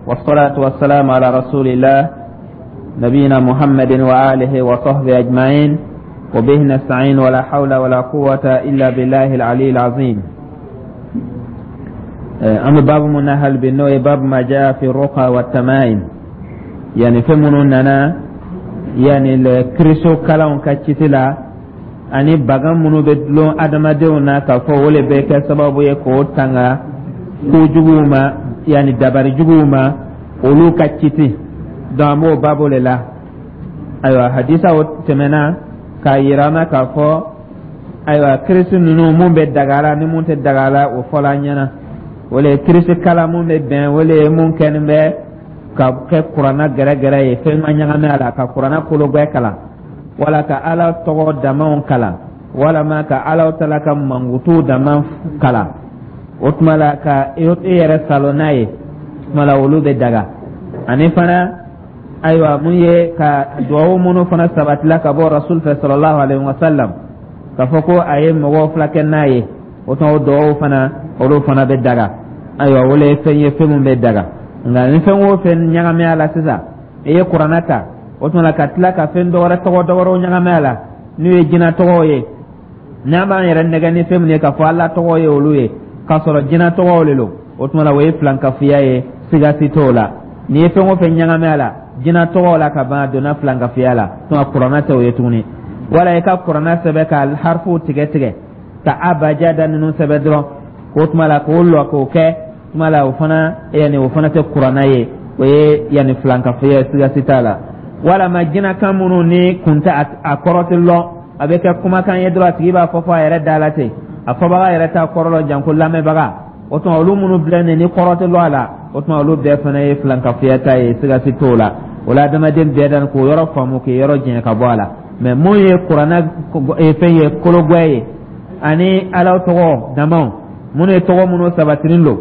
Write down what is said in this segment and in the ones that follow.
والصلاة والسلام على رسول الله نبينا محمد وآله وصحبه أجمعين، وبه نستعين، ولا حول ولا قوة إلا بالله العلي العظيم. An bɛ babu mun na hali bi, n'o ye باب ما جاء في الرقى والتمائم، yani fɛn minnu nana yani kiriso kalanw ka citi la, ani bagan minnu bɛ dulon adamadenw na k'a fɔ o le bɛ kɛ sababu ye k'o tanga kojuguw ma, yani dabari juguw ma, olu ka citi. Donc an b'o babu le la. Ayiwa, hadisaw tɛmɛna k'a yira an na k'a fɔ, ayiwa, kirisi ninnu, mun bɛ daga la ni mun tɛ daga la, o fɔla an ɲɛna. O le ye kirisi kala mun bɛ bɛn, o le ye mun kɛnin bɛ ka kɛ Kuranna gɛrɛgɛrɛ ye, fɛn ma ɲagami a la, ka Kuranna kologwɛ kalan, wala ka Ala tɔgɔ damaw kalan, walama ka Ala tala ka mankutu dama kalan. O tuma la, ka e yɛrɛ salo n'a ye, o tuma la olu bɛ daga. Ani fana, ayiwa, mun ye ka duwawu minnu fana sabatila ka bɔ Rasul fɛ sallallahu alaihi wa sallam, k'a fɔ ko a ye mɔgɔw filakɛ n'a ye, o tuma o duwawu fana, olu fana bɛ daga. Ayiwa, o le ye fɛn ye, fɛn min bɛ daga. Nka ni fɛn o fɛn ɲagami a la sisan, i ye Kuranna ta, o tuma la ka tila ka fɛn dɔwɛrɛ, tɔgɔ dɔwɛrɛw ɲagami a la, n'u ye jinɛ tɔgɔw ye, n'an b'an yɛrɛ nɛgɛ ni fɛn min ye k'a fɔ Ala tɔgɔ ye olu ye, k'a sɔrɔ jinɛ tɔgɔw de don, o tuma la o ye filankafoya ye, siga si t'o la. N'i ye fɛn o fɛn ɲagami a la jinɛ tɔgɔw la ka ban, a donna filankafoya la. Tuma Kuranna tɛ o ye tuguni. Wala i ka Kuranna sɛbɛn ka harifuw tigɛ tigɛ, ka abajada ninnu sɛbɛn dɔrɔn, k'o tuma la k'o lɔ k'o kɛ, tuma la o fana, yanni o fana tɛ Kuranna ye, o ye yanni filankafoya ye, siga si t'a la. Walama jinɛkan minnu ni kun tɛ a kɔrɔ tɛ lɔn, a bɛ kɛ kumakan ye dɔrɔn, a tigi b'a fɔ fɔ a yɛrɛ da la ten, a fɔbaga yɛrɛ t'a kɔrɔ lɔn, janko lamɛnbaga. O tuma olu minnu filɛ nin ni kɔrɔ tɛ lɔn a la, o tuma olu bɛɛ fana ye filankafoya ta ye, siga si t'o la. O la, adamaden bɛɛ dan k'o yɔrɔ faamu, k'i yɔrɔ janya ka bɔ a la. Mɛ mun ye Kuranna fɛn ye, kologwɛ ye, ani Ala tɔgɔ damaw minnu ye, tɔgɔ minnu sabatilen don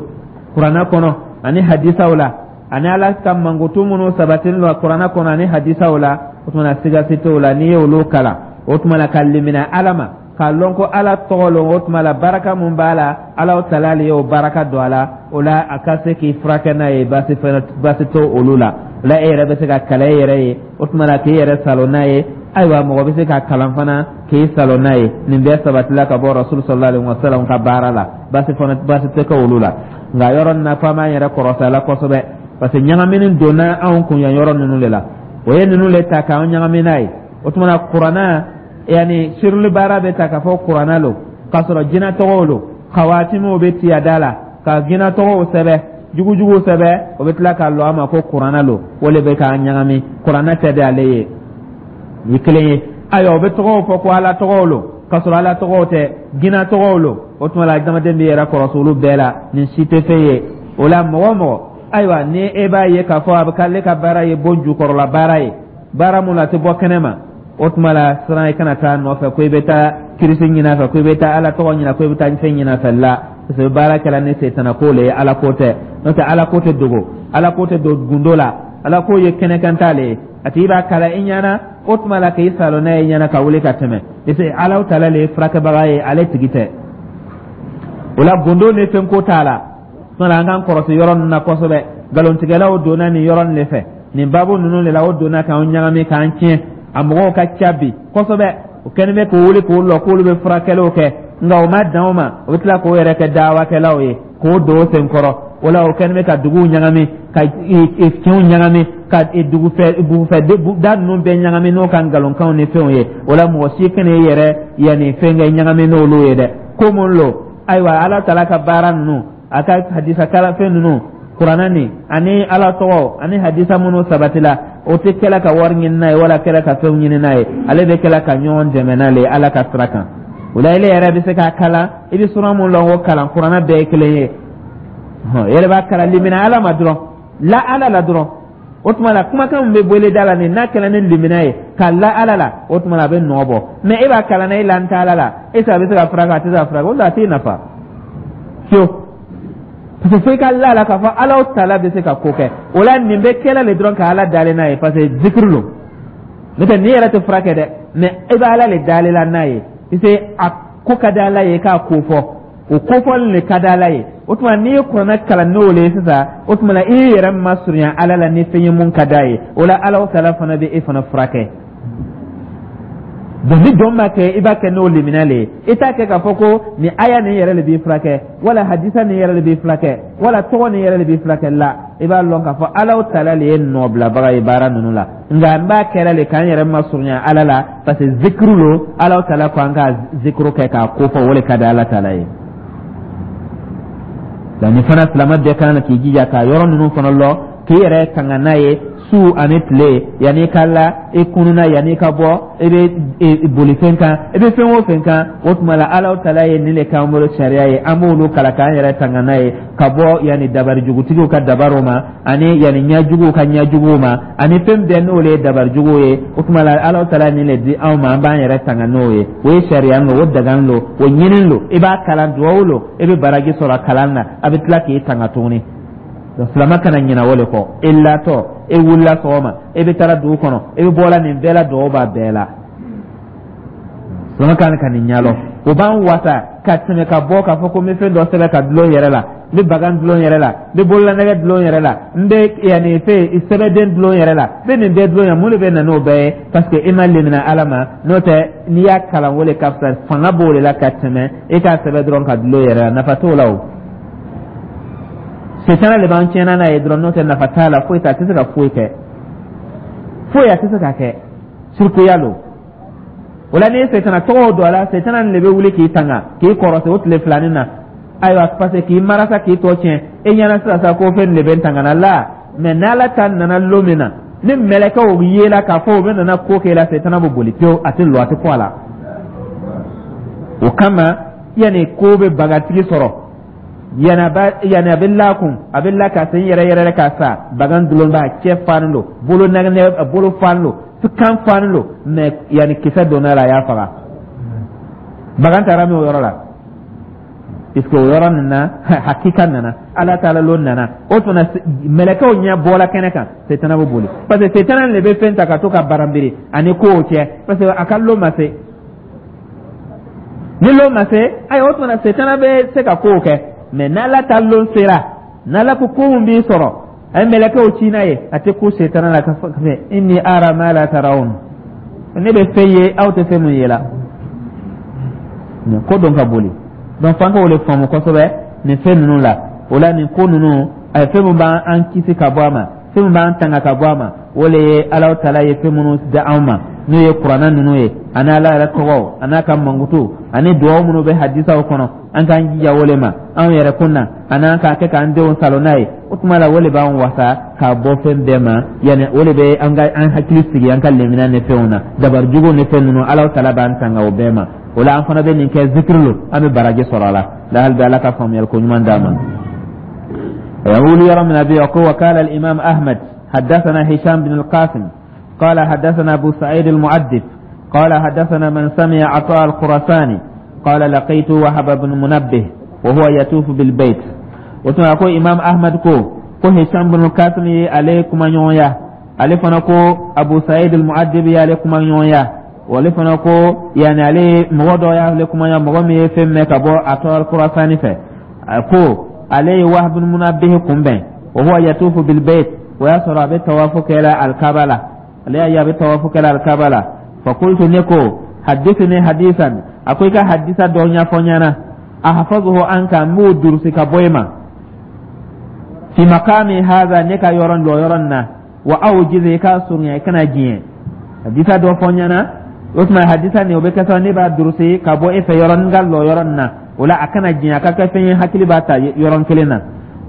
Kuranna kɔnɔ ani hadisaw la, ani Ala ka mankutu minnu sabatilen don Kuranna kɔnɔ ani hadisaw la, o tuma na siga si t'o la. N'i ye olu kalan, o tuma la ka limina Ala ma, k'a lɔn ko Ala tɔgɔ lon, o tuma la baraka mun b'a la, Ala tala le ye o baraka don a la. O la a ka se k'i furakɛ n'a ye, baasi fɛnɛ baasi t'o olu la. O la e yɛrɛ bɛ se ka kalan e yɛrɛ ye, o tuma la k'i yɛrɛ salo n'a ye. Ayiwa, mɔgɔ bɛ se ka kalan fana k'i salo n'a ye. Nin bɛɛ sabatila ka bɔ Rasul sallallahu alaihi wa sallam ka baara la, baasi fana baasi tɛ kɛ olu la. Nka yɔrɔ nin na, f'an b'an yɛrɛ kɔrɔsi a la kosɛbɛ, parce que ɲagamini donna anw kun yan yɔrɔ ninnu de la. O ye ninnu le ta k'an ɲagami n'a ye. O tuma na Kuranna, yanni sirili baara bɛ ta k'a fɔ Kuranna lo, k'a sɔrɔ jinɛ tɔgɔw lo, kawatimiw bɛ ci a da la ka jinɛ tɔgɔw sɛbɛ, jugujuguw sɛbɛ, o bɛ tila k'a lɔ a ma ko Kuranna lo. O le bɛ k'an ɲagami. Kuranna tɛ de, ale ye ni kelen ye. Ayiwa, o bɛ tɔgɔw fɔ ko Ala tɔgɔw lo, k'a sɔrɔ Ala tɔgɔw tɛ, jinɛ tɔgɔw lo. O tuma la adamaden bɛ yɛrɛ kɔrɔsi olu bɛɛ la, nin si tɛ fɛn ye. O la, mɔgɔ o mɔgɔ, ayiwa, ni e b'a ye k'a fɔ a bɛ k'ale ka baara ye bon jukɔrɔla baara ye, baara mun na a tɛ bɔ kɛnɛ ma, o tuma la siran, i kana taa nɔfɛ ko i bɛ taa kirisi ɲini a fɛ, ko i bɛ taa Ala tɔgɔ ɲini, ko i bɛ taa fɛn ɲini a fɛ la, parce que baara kɛla ni setana ko le ye, Ala ko tɛ. N'o tɛ, Ala ko tɛ dogo, Ala ko tɛ don gundo la, Ala ko ye kɛnɛkanta le ye. A tigi b'a kala i ɲɛna, o tuma la k'i salon n'a ye ɲɛna ka wuli ka tɛmɛ, parce que Ala tala le ye furakɛbaga ye, ale tigi tɛ. O la gundo ni fɛn ko t'a la. Tuma la an k'an kɔrɔsi yɔrɔ ninnu na kosɛbɛ. Nkalontigɛlaw donna nin yɔrɔ nin de fɛ, nin baabu ninnu de la, o donna k'an ɲagami, k'an tiɲɛ. A mɔgɔw ka ca bi kosɛbɛ, o kɛlen bɛ k'o wuli k'o lɔ k'olu bɛ furakɛliw kɛ. Nka o ma dan o ma, o bɛ tila k'o yɛrɛ kɛ dawakɛlaw ye, k'o don o sen kɔrɔ. O la o kɛlen bɛ ka duguw ɲagami, ka kinw ɲagami, ka dugufɛ bugufɛ da ninnu bɛɛ ɲagami n'o ka nkalonkanw ni fɛnw ye. O la mɔgɔ si kana i yɛrɛ yanni fɛn kɛ ɲagami n'olu ye dɛ. Ko mun lo? Ayiwa, Ala tala ka baara ninnu, a ka hadisa kalafɛn ninnu, Kuranna ni ani Ala tɔgɔ ani hadisa minnu sabatila, o tɛ kɛla ka wari ɲini n'a ye, wala kɛla ka fɛnw ɲini n'a ye. Ale bɛ kɛla ka ɲɔgɔn dɛmɛ n'ale ye Ala ka sira kan. O la ile yɛrɛ bɛ se k'a kalan, i bɛ sura mun lɔn, o kalan. Kuranna bɛɛ ye kelen ye. Yɛrɛ b'a kalan, limina Ala ma dɔrɔn, la Ala la dɔrɔn. O tuma la kumakan min bɛ bɔle da la nin, n'a kɛra ni limina ye ka la Ala la, o tuma la a bɛ nɔ bɔ. Mɛ e b'a kalan na, e la n tɛ Ala la, e a bɛ se ka furakɛ, a tɛ se ka furakɛ, o la a t'i nafa fiyewu, parce que fo i ka la la k'a fɔ Ala tala bɛ se ka ko kɛ. O la nin bɛ kɛla le dɔrɔn ka Ala dalen n'a ye, parce que zikiri lo. N'o tɛ, nin yɛrɛ tɛ furakɛ dɛ, mɛ e bɛ Ala le dalen la n'a ye, parce que a ko ka di Ala ye k'a ko fɔ. O kofɔli le ka di Ala ye. O tuma, n'i ye Kuranɛ kalan n'o le ye sisan, o tuma la, i y'i yɛrɛ masurunya Ala la ni fɛn ye mun ka d'a ye. O la, Ala Taala fana bɛ e fana furakɛ. Donc ni jɔn b'a kɛ, i b'a kɛ n'o limaniya le ye. I t'a kɛ k'a fɔ ko nin aya nin yɛrɛ le b'i furakɛ, wala hadisa nin yɛrɛ le b'i furakɛ, wala tɔgɔ nin yɛrɛ le b'i furakɛ. La, i b'a lɔn k'a fɔ Ala Taala le ye nɔbilabaga ye baara ninnu la, nka n b'a kɛra le k'an yɛrɛ masurunya Ala la, parce que zikiru lo. Ala Taala ko an ka zikiru kɛ k'a ko fɔ, o le ka di Ala Taala ye. Donc nin fana, silamɛ bɛɛ kan k'i jija k'a yɔrɔ ninnu fana lɔ, k'i yɛrɛ tanga n'a ye su ani tile, yanni ka la, i kununa, yanni ka bɔ, i bɛ bolifɛn kan, i bɛ fɛn o fɛn kan. O tuma la, Ala Taala ye nin de k'an bolo sariya ye, an b'olu kalan k'an yɛrɛ tanga n'a ye ka bɔ yanni dabari jugutigiw ka dabariw ma, ani yanni ɲɛjuguw ka ɲɛjuguw ma, ani fɛn bɛɛ n'olu ye dabarijuguw ye. O tuma la, Ala Taala nin de di anw ma, an b'an yɛrɛ tanga n'o ye. O ye sariya lo, o dagan lo, o ɲinin lo. I b'a kalan, duwawu lo, i bɛ baraji sɔrɔ a kalan na, a bɛ tila k'i tanga tuguni. Donc silamɛ kana ɲinɛ o de kɔ. E latɔ, e wulila sɔgɔma, e bɛ taara dugu kɔnɔ, e bɛ bɔla, nin bɛɛ la, duwawu b'a bɛɛ la. Silamɛ kan ka nin ɲɛlɔ, o b'an wasa ka tɛmɛ ka bɔ k'a fɔ ko n bɛ fɛn dɔ sɛbɛn ka dulon yɛrɛ la, n bɛ bagan dulon yɛrɛ la, n bɛ bololanɛgɛ dulon yɛrɛ la, n bɛ yanni fɛn sɛbɛnden dulon yɛrɛ la, n bɛ nin bɛɛ dulon yɛrɛ. Mun de bɛ na n'o bɛɛ ye? Parce que e ma lemina Ala ma. N'o tɛ, n'i y'a kalan, o de ka fisa, fanga b'o de la ka tɛmɛ e k'a sɛbɛn dɔrɔn ka dulon yɛrɛ la. Nafa t'o la. O setana de b'an tiɲɛna n'a ye dɔrɔn. N'o tɛ, nafa t'a la, foyi t'a, a tɛ se ka foyi kɛ, foyi a tɛ se ka kɛ, sirikuya lo. O la, n'i ye setana tɔgɔw don a la, setana nin de bɛ wuli k'i tanga, k'i kɔrɔsɛ o tile filanin na. Ayiwa, parce que k'i marasa, k'i tɔ tiɲɛ e ɲɛna sisan sa ko fɛn de bɛ n tanga na la. Mɛ n'Ala ta nana lon min na, ni mɛlɛkɛw yela k'a fɔ u bɛ nana ko k'e la, setana bɛ boli pewu, a tɛ lɔ, a tɛ kɔ a la. O kama, yanni ko bɛ bagatigi sɔrɔ, yanni a bɛ lakun, a bɛ la ka sen yɛrɛ yɛrɛ ka sa, bagan dulon b'a cɛ fannen don, bolo nɛgɛ, bolo fannen don, kan fannen don, mɛ yanni kisɛ donna la, a y'a faga. Bagan taara min o yɔrɔ la, puisque o yɔrɔ nin na, hakika nana, Ala taala lon nana. O tuma, mɛlɛkɛw ɲɛ bɔla kɛnɛ kan, setana bɛ boli, parce que setana de bɛ fɛn ta ka to ka baranbiri ani kow cɛ, parce que a ka lon ma se. Ni lon ma se, ayiwa, o tuma setana bɛ se ka kow kɛ. Mɛ n'Ala ta lon sera, n'Ala ko ko mun b'i sɔrɔ, a ye mɛlɛkɛw ci n'a ye, a tɛ ko setana la ka fɔ: "Inni ara ma la tarawun", ne bɛ fɛn ye, aw tɛ fɛn mun ye la. Nin ko dɔn ka boli. Donc f'an ka o de faamu kosɛbɛ nin fɛn ninnu la. O la, nin ko ninnu, a ye fɛn min b'an kisi ka bɔ a ma, fɛn min b'an tanga ka bɔ a ma, o le ye Ala Taala ye fɛn minnu da anw ma, n'o ye Kuranɛ ninnu ye, ani Ala yɛrɛ tɔgɔw, ani n'a ka mankutu, ani duwawu minnu bɛ hadisaw kɔnɔ. An k'an jija o le ma anw yɛrɛ kun na, ani an k'a kɛ k'an denw salo n'a ye. O tuma la, o le b'an wasa k'a bɔ fɛn bɛɛ ma. Yanni o de bɛ an ka an hakili sigi an ka lemina ni fɛnw na, dabarijuguw ni fɛn ninnu, Ala Taala b'an tanga o bɛɛ ma. O la, an fana bɛ nin kɛ zikiri lo, an bɛ baraji sɔrɔ a la. La hali bɛ Ala ka faamuyali ko ɲuman d'an ma. يقول يرى من أبي وقال الإمام أحمد: حدثنا هشام بن القاسم قال حدثنا أبو سعيد المؤدب قال حدثنا من سمع عطاء الخراساني قال لقيت وهب بن منبه وهو يطوف بالبيت. وتما إمام أحمد ko هشام بن القاسم ale kuma ɲɔgɔnya, ale fana ko Abu Saïd al-Mu'addib ale kuma ɲɔgɔnya, wale fana ko yani ale mɔgɔ dɔ y'ale kuma ɲɔgɔn, mɔgɔ min ye fɛn mɛn ka bɔ Ata al-Khurasani fɛ, ko ale ye Wahab bin Munabbih kunbɛn, wa huwa yatufu bil bayt, o y'a sɔrɔ a bɛ tawafu kɛla alkaba la. Ale y'a ye a bɛ tawafu kɛla alkaba la. Fa qultu, ne ko: "Hadithni hadisan", a ko i ka hadisa dɔ ɲɛfɔ n ɲɛna, ahfazuhu anka, n b'o durusi ka bɔ i ma, fi maqami hadha, ne ka yɔrɔ dɔ yɔrɔ nin na, wa awjiz, i ka surunya, i kana diɲɛ hadisa dɔ fɔ n ɲɛna. O tuma hadisa nin, o bɛ kɛ sababu ne b'a durusi ka bɔ e fɛ yɔrɔ n ka lɔ yɔrɔ nin na. O la, a kana diɲɛ, a ka kɛ fɛn ye hakili b'a ta yɔrɔ kelen na.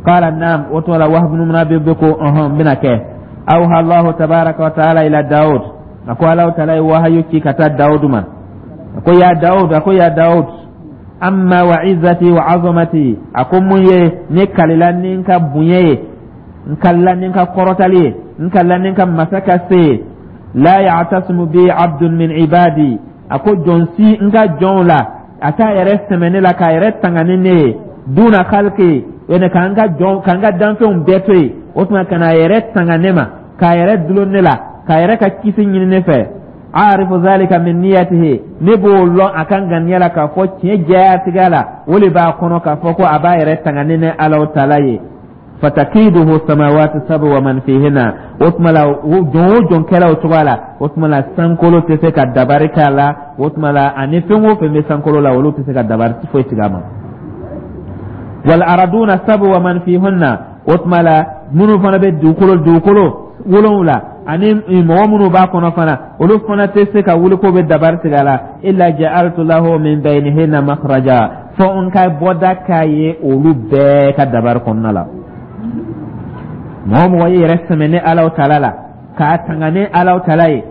Qala naam. O tuma la, Wahab bin Munabbih bɛ ko: "Ɔhɔn, n bɛna kɛ." Awha Allahu tabaraka wa taala ila Daud, a ko Alahu taala ye wahayu ci ka taa Dawud ma. A ko: "Ya Dawud", a ko: "Ya Dawud, amma wa izzati wa azamati", a ko mun ye ne kalila ni n ka bonya ye, n kalila ni n ka kɔrɔtali ye, n kalila ni n ka masa ka se ye, la ya'tasimu bi abdun min ibadi, a ko jɔn si n ka jɔnw la, a t'a yɛrɛ sɛmɛ ne la k'a yɛrɛ tanga ni ne ye, duna khalqi, yani k'an ka jɔn, k'an ka danfɛnw bɛɛ to yen, o tuma ka n'a yɛrɛ tanga ne ma, k'a yɛrɛ dulon ne la, k'a yɛrɛ ka kisi ɲini ne fɛ. Arifu zalika min niyatihi, ne b'o lɔn a ka ŋaniya la k'a fɔ tiɲɛ jɛyatigɛ la, o le b'a kɔnɔ k'a fɔ ko a b'a yɛrɛ tanga ni ne Alahu taala ye. Fatakiduhu samawati sabu wa man fihinna. O tuma la, jɔn o jɔn kɛra o cogoya la, o tuma la, sankolo tɛ se ka dabari k'a la. O tuma la, ani fɛn o fɛn bɛ sankolo la, olu tɛ se ka dabari foyi tigɛ a ma. Wal araduna sabu wa man fihunna. O tuma la, minnu fana bɛ dugukolo wolonwula ani mɔgɔ minnu b'a kɔnɔ fana, olu fana tɛ se ka wuli k'o bɛ dabari tigɛ a la. Illa ja'altu lahu min baynihinna makhraja, fo n ka bɔda k'a ye olu bɛɛ ka dabari kɔnɔna la. Mɔgɔ o mɔgɔ y'i yɛrɛ sɛmɛ ne Alahu taala la, k'a tanga ne Alahu taala ye,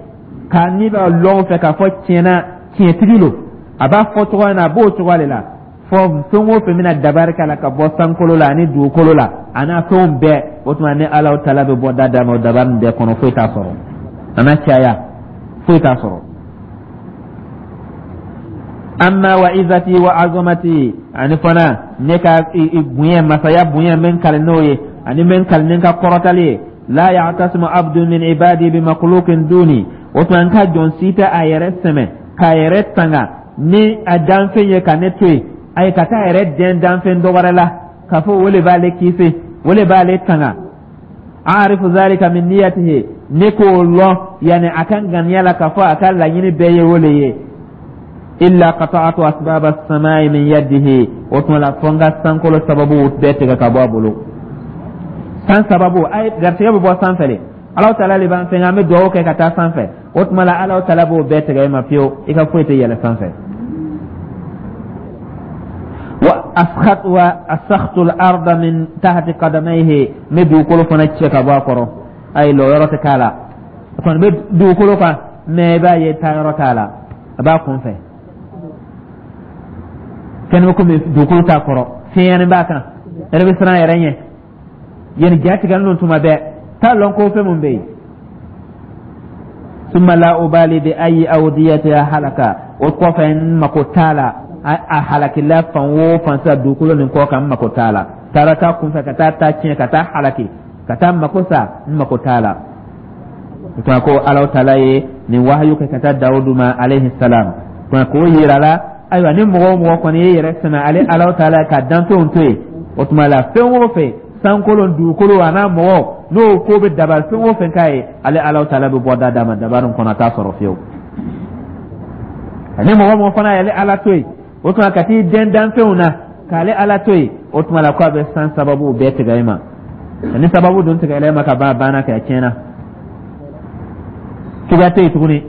k'a ni b'a lɔn fɛ k'a fɔ tiɲɛna tiɲɛtigi lo, a b'a fɔ cogoya min na, a b'o cogoya de la, fɔ fɛn o fɛn bɛna dabari k'a la ka bɔ sankolo la ani dugukolo la a n'a fɛnw bɛɛ, o tuma ne Alahu taala bɛ bɔ da d'a ma. O dabari nin bɛɛ kɔnɔ, foyi t'a sɔrɔ, a n'a caya, foyi t'a sɔrɔ. Amma wa izati wa azamati, ani fana ne ka bonya, masaya bonya, n bɛ n kali n'o ye, ani n bɛ n kali ni n ka kɔrɔtali ye. La ya'tasimu abdu min ibadi bi makhluqin duni. O tuma, n ka jɔn si tɛ a yɛrɛ sɛmɛ k'a yɛrɛ tanga ni a danfɛn ye ka ne to yen, ayi, ka taa yɛrɛ dɛn danfɛn dɔ wɛrɛ la k'a fɔ o le b'ale kisi, o le b'ale tanga. Arifu zalika min niyatihi, ne k'o lɔn yanni a ka ŋaniya la k'a fɔ a ka laɲini bɛɛ ye o le ye. Illa qata'atu asbaba as-samai min yadihi. O tuma la, fo n ka sankolo sababu bɛɛ tigɛ ka bɔ a bolo. San sababu, a ye garisɛgɛ bɛ bɔ sanfɛ de. Alahu taala de b'an fɛn, an bɛ dugawu kɛ ka taa sanfɛ. O tuma la, Alahu taala b'o bɛɛ tigɛ e ma fiyewu, i ka foyi tɛ yɛlɛ sanfɛ. Wa asxat wa asakhtu al-arda min tahti qadamayhi, n bɛ dugukolo fana cɛ ka bɔ a kɔrɔ. Ayi, lɔyɔrɔ tɛ k'a la. A kɔni bɛ dugukolo kan, mɛ i b'a ye taayɔrɔ t'a la, a b'a kun fɛ kɛnɛ bɛ komi dugukolo t'a kɔrɔ, fiɲɛni b'a kan, yɛrɛ bɛ siran a yɛrɛ ɲɛ. Yanni ja tigɛlen don tuma bɛɛ, t'a lɔn ko fɛn mun bɛ yen. Summa la ubali bi ayi awdiyatiha halaka. O kɔfɛ, n mako t'a la a halakila fan o fan sa dugukolo nin kɔ kan, n mako t'a la. Taara taa kunfɛ ka taa ta tiɲɛ, ka taa halaki, ka taa mako sa, n mako t'a la. O ko Alahu taala ye nin wahayu kɛ ka taa Dawudu ma alayhi salam k'o yira la. Ayiwa, ni mɔgɔ o mɔgɔ kɔni ye yɛrɛ sɛmɛ ale Alahu taala ka danfɛnw to yen, o tuma la, fɛn o fɛn, sankolo, dugukolo, a n'a mɔgɔ, n'o ko bɛ dabali fɛn o fɛn k'a ye, ale Alahu taala bɛ bɔ da d'a ma, dabali kɔnɔ a t'a sɔrɔ fiyewu. Ani mɔgɔ mɔgɔ fana y'ale Ala to yen, o tuma ka t'i dɛn danfɛnw na k'ale Ala to yen, o tuma la, k'a bɛ san sababu bɛɛ tigɛ e ma. Ani sababu dun tigɛla e ma ka ban, a banna, kɛ a tiɲɛna, cogoya tɛ yen tuguni.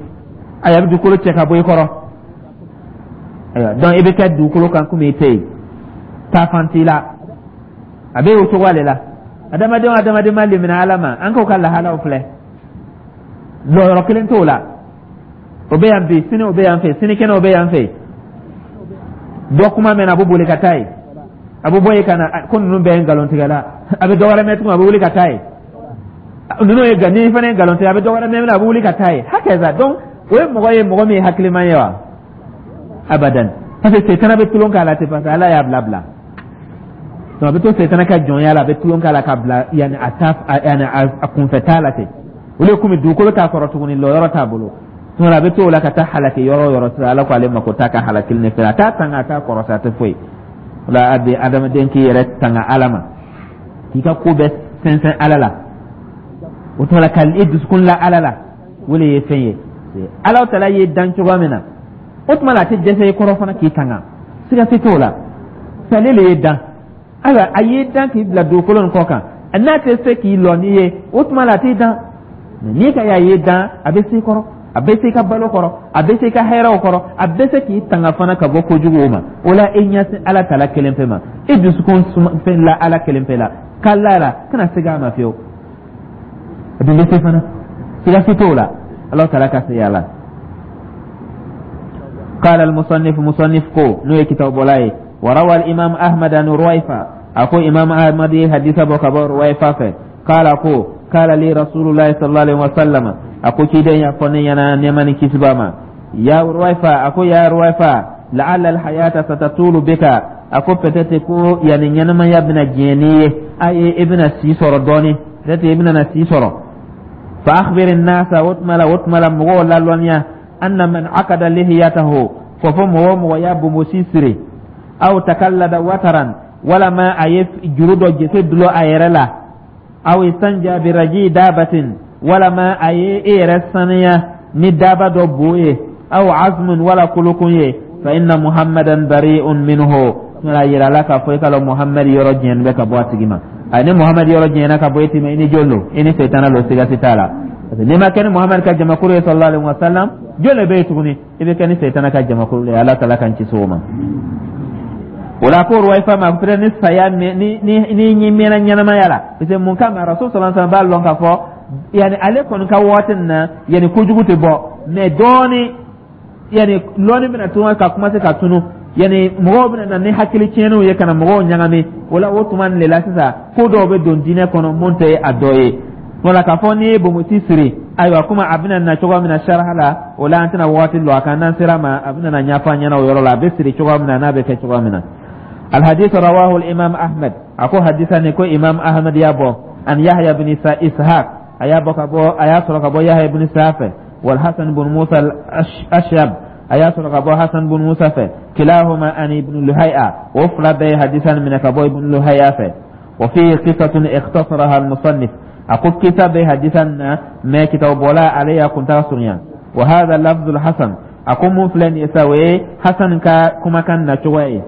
Ayiwa, a bɛ dugukolo cɛ ka bɔ i kɔrɔ. Ayiwa, donc i bɛ kɛ dugukolo kan komi i tɛ yen, taafan t'i la. A bɛ o cogoya de la. Adamaden o adamaden ma limina Ala ma, an k'o ka lahalaw filɛ, lɔyɔrɔ kelen t'o la. O bɛ yan bi, sini o bɛ yan fɛ, sinikɛnɛ o bɛ yan fɛ. Dɔ kuma mɛn, a bɛ boli ka taa yen, a bɛ bɔ yen ka na ko ninnu bɛɛ ye nkalontigɛla. A bɛ dɔ wɛrɛ mɛn tuguni, a bɛ wuli ka taa yen, ninnu ye nka ni fana ye nkalon tigɛ. A bɛ dɔ wɛrɛ mɛn, a bɛ wuli ka taa yen, hakaza. Donc o ye mɔgɔ ye, mɔgɔ min ye hakiliman ye wa? Abadan, parce que setana bɛ tulon k'a la ten, parce que Ala y'a bila bila. Donc a bɛ to setana ka jɔnya la, a bɛ tulon k'a la ka bila yanni a ta yanni a kunfɛ t'a la ten. O de komi dugukolo t'a kɔrɔ tuguni, lɔyɔrɔ t'a bolo tuma, a bɛ to o la ka taa halaki yɔrɔ o yɔrɔ sisan. Ala ko ale mako t'a ka halakili ne fɛ, a t'a tanga, a t'a kɔrɔta, a tɛ foyi. O la, a bɛ adamaden k'i yɛrɛ tanga Ala ma, k'i ka ko bɛɛ sɛnsɛn Ala la. O tuma la, ka i dusukun la Ala la, o de ye fɛn ye. Ala taala y'i dan cogoya min na, o tuma la, a tɛ dɛsɛ i kɔrɔ fana k'i tanga, siga si t'o la. Sale le y'i dan. Ayiwa, a y'i dan k'i bila dugukolo nin kɔ kan, n'a tɛ se k'i lɔ n'i ye, o tuma la, a t'i dan. N'i ka y'a y'i dan, a bɛ se i kɔrɔ, a bɛ se i ka balo kɔrɔ, a bɛ se i ka hɛrɛw kɔrɔ, a bɛ se k'i tanga fana ka bɔ kojuguw ma. O la, e ɲɛsin Ala taala kelen pe ma, e dusukun fɛn la Ala kelen pe la, k'a la la kana segin a ma fiyewu. A dun bɛ se fana, siga si t'o la, Ala taala ka se yala. قال المصنف، مصنف كو نو كتاب بولاي: وروى الإمام أحمد عن رويفة. أكو إمام أحمد حديث أبو كبر رويفة في قال أكو قال لي رسول الله صلى الله عليه وسلم، أكو كيدين يفوني ينا نيماني كسباما يا رويفة، أكو يا رويفة، لعل الحياة ستطول بك. أكو peut-être ko yani ɲɛnamaya bɛna diɲɛ n'i ye, a ye i bɛna si sɔrɔ dɔɔni, peut-être i bɛna na si sɔrɔ. Fa akhbir an-nasa, o tuma la mɔgɔw lalɔnniya. Anna man akada lihiyatahu, ko fo mɔgɔ o mɔgɔ y'a bonbosi siri, aw takallada wataran, walama a ye juru dɔ jese dulon a yɛrɛ la, aw istanja biraji dabatin, walama a ye e yɛrɛ saniya ni daba dɔ bo ye, aw azmun, wala kolokun ye, fa inna Muhammadan bari'un minhu. A yira la k'a fɔ i k'a lɔn Muhammad yɔrɔ jɛn bɛ ka bɔ a tigi ma. A ni Muhammad yɔrɔ jɛnna ka bɔ e ma, i ni jɔn don? I ni sɛtana lo, siga si t'a la, parce que n'i ma kɛ ni Muhammad ka jamakulu ye, sallallahu alaihi wa sallam, jɔn le bɛ yen tuguni? I bɛ kɛ ni sɛtana ka jamakulu ye. Ala taala k'an kisi o ma. O la ko Ruwaifa ma peut ni saya ni ni mɛnna ɲɛnamaya la, parce que mun kama Rasul sallallahu alaihi wa sallam b'a lɔn k'a fɔ yani ale kɔni ka waati nin na, yani kojugu tɛ bɔ, mais dɔɔni yani lɔnni bɛna tun ka commencer ka tunu, yani mɔgɔw bɛna na ni hakili tiɲɛniw ye ka na mɔgɔw ɲagami. O la, o tuma nin de la sisan, ko dɔw bɛ don diinɛ kɔnɔ mun tɛ a dɔ ye. Wala k'a fɔ n'i ye bonbonsi siri, ayiwa, komi a bɛna na cogoya min na saraha la, o la an tɛna waati lɔ a kan. N'an sera ma, a bɛna na ɲɛfɔ an ɲɛna o yɔrɔ la, a bɛ siri cogoya min na, n'a bɛ kɛ cogoya min na. Alhadith rawahu al-Imam Ahmad. A ko hadisa ni ko Imam Ahmad y'a bɔ an Yahya bin Ishaq, a y'a bɔ ka bɔ, a y'a sɔrɔ ka bɔ Yahya bin Ishaq fɛ, wal Hasan bin Musa al-Ashyab, a y'a sɔrɔ ka bɔ Hasan bin Musa fɛ, kilahuma an Ibn Luhay'a, o fila bɛɛ ye hadisa nin minɛ ka bɔ Ibn Luhay'a fɛ. Wa fihi qissatun ikhtasaraha al-musannif. A ko kisa bɛ hadisa nin na, mais kitabu bɔla ale y'a kuntaga surunya. Wa hadha lafzul Hasan. A ko mun filɛ nin ye sa, o ye Hasan ka kumakan nacogoya ye.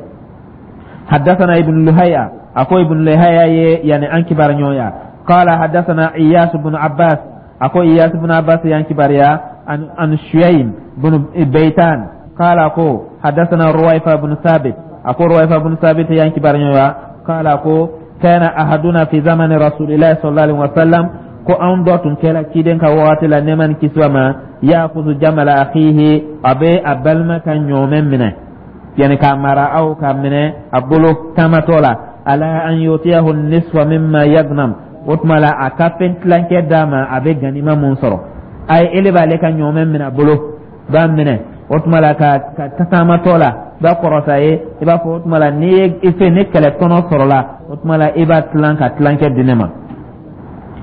حدثنا ابن لهيعة، أكو ابن لهيعة يعني أن كبار نيويا، قال حدثنا إياس بن عباس، أكو إياس بن عباس يعني كباريا، عن شييم بن بيتان قال، أكو حدثنا رويفة بن ثابت، أكو رويفة بن ثابت يعني كبار نيويا، قال، أكو كان أحدنا في زمن رسول الله صلى الله عليه وسلم، ko anw dɔ tun kɛra ciden ka wagati la, nɛɛma ni kisi ma, ya'khudhu jamala akhihi, a bɛ a balima ka ɲɔmɛ minɛ, yani k'a mara aw k'a minɛ a bolo taamatɔ la, ala an yutiyahu nisfa mimma yagnam, o tuma la a ka fɛn tilancɛ d'a ma, a bɛ ganima mun sɔrɔ. A ye ele b'ale ka ɲɔmɛ minɛ a bolo, b'a minɛ, o tuma la ka taamatɔ la, b'a kɔrɔta ye, i b'a fɔ o tuma la n'i ye i fɛ ni kɛlɛ tɔnɔ sɔrɔla, o tuma la i b'a tilan ka tilancɛ di ne ma.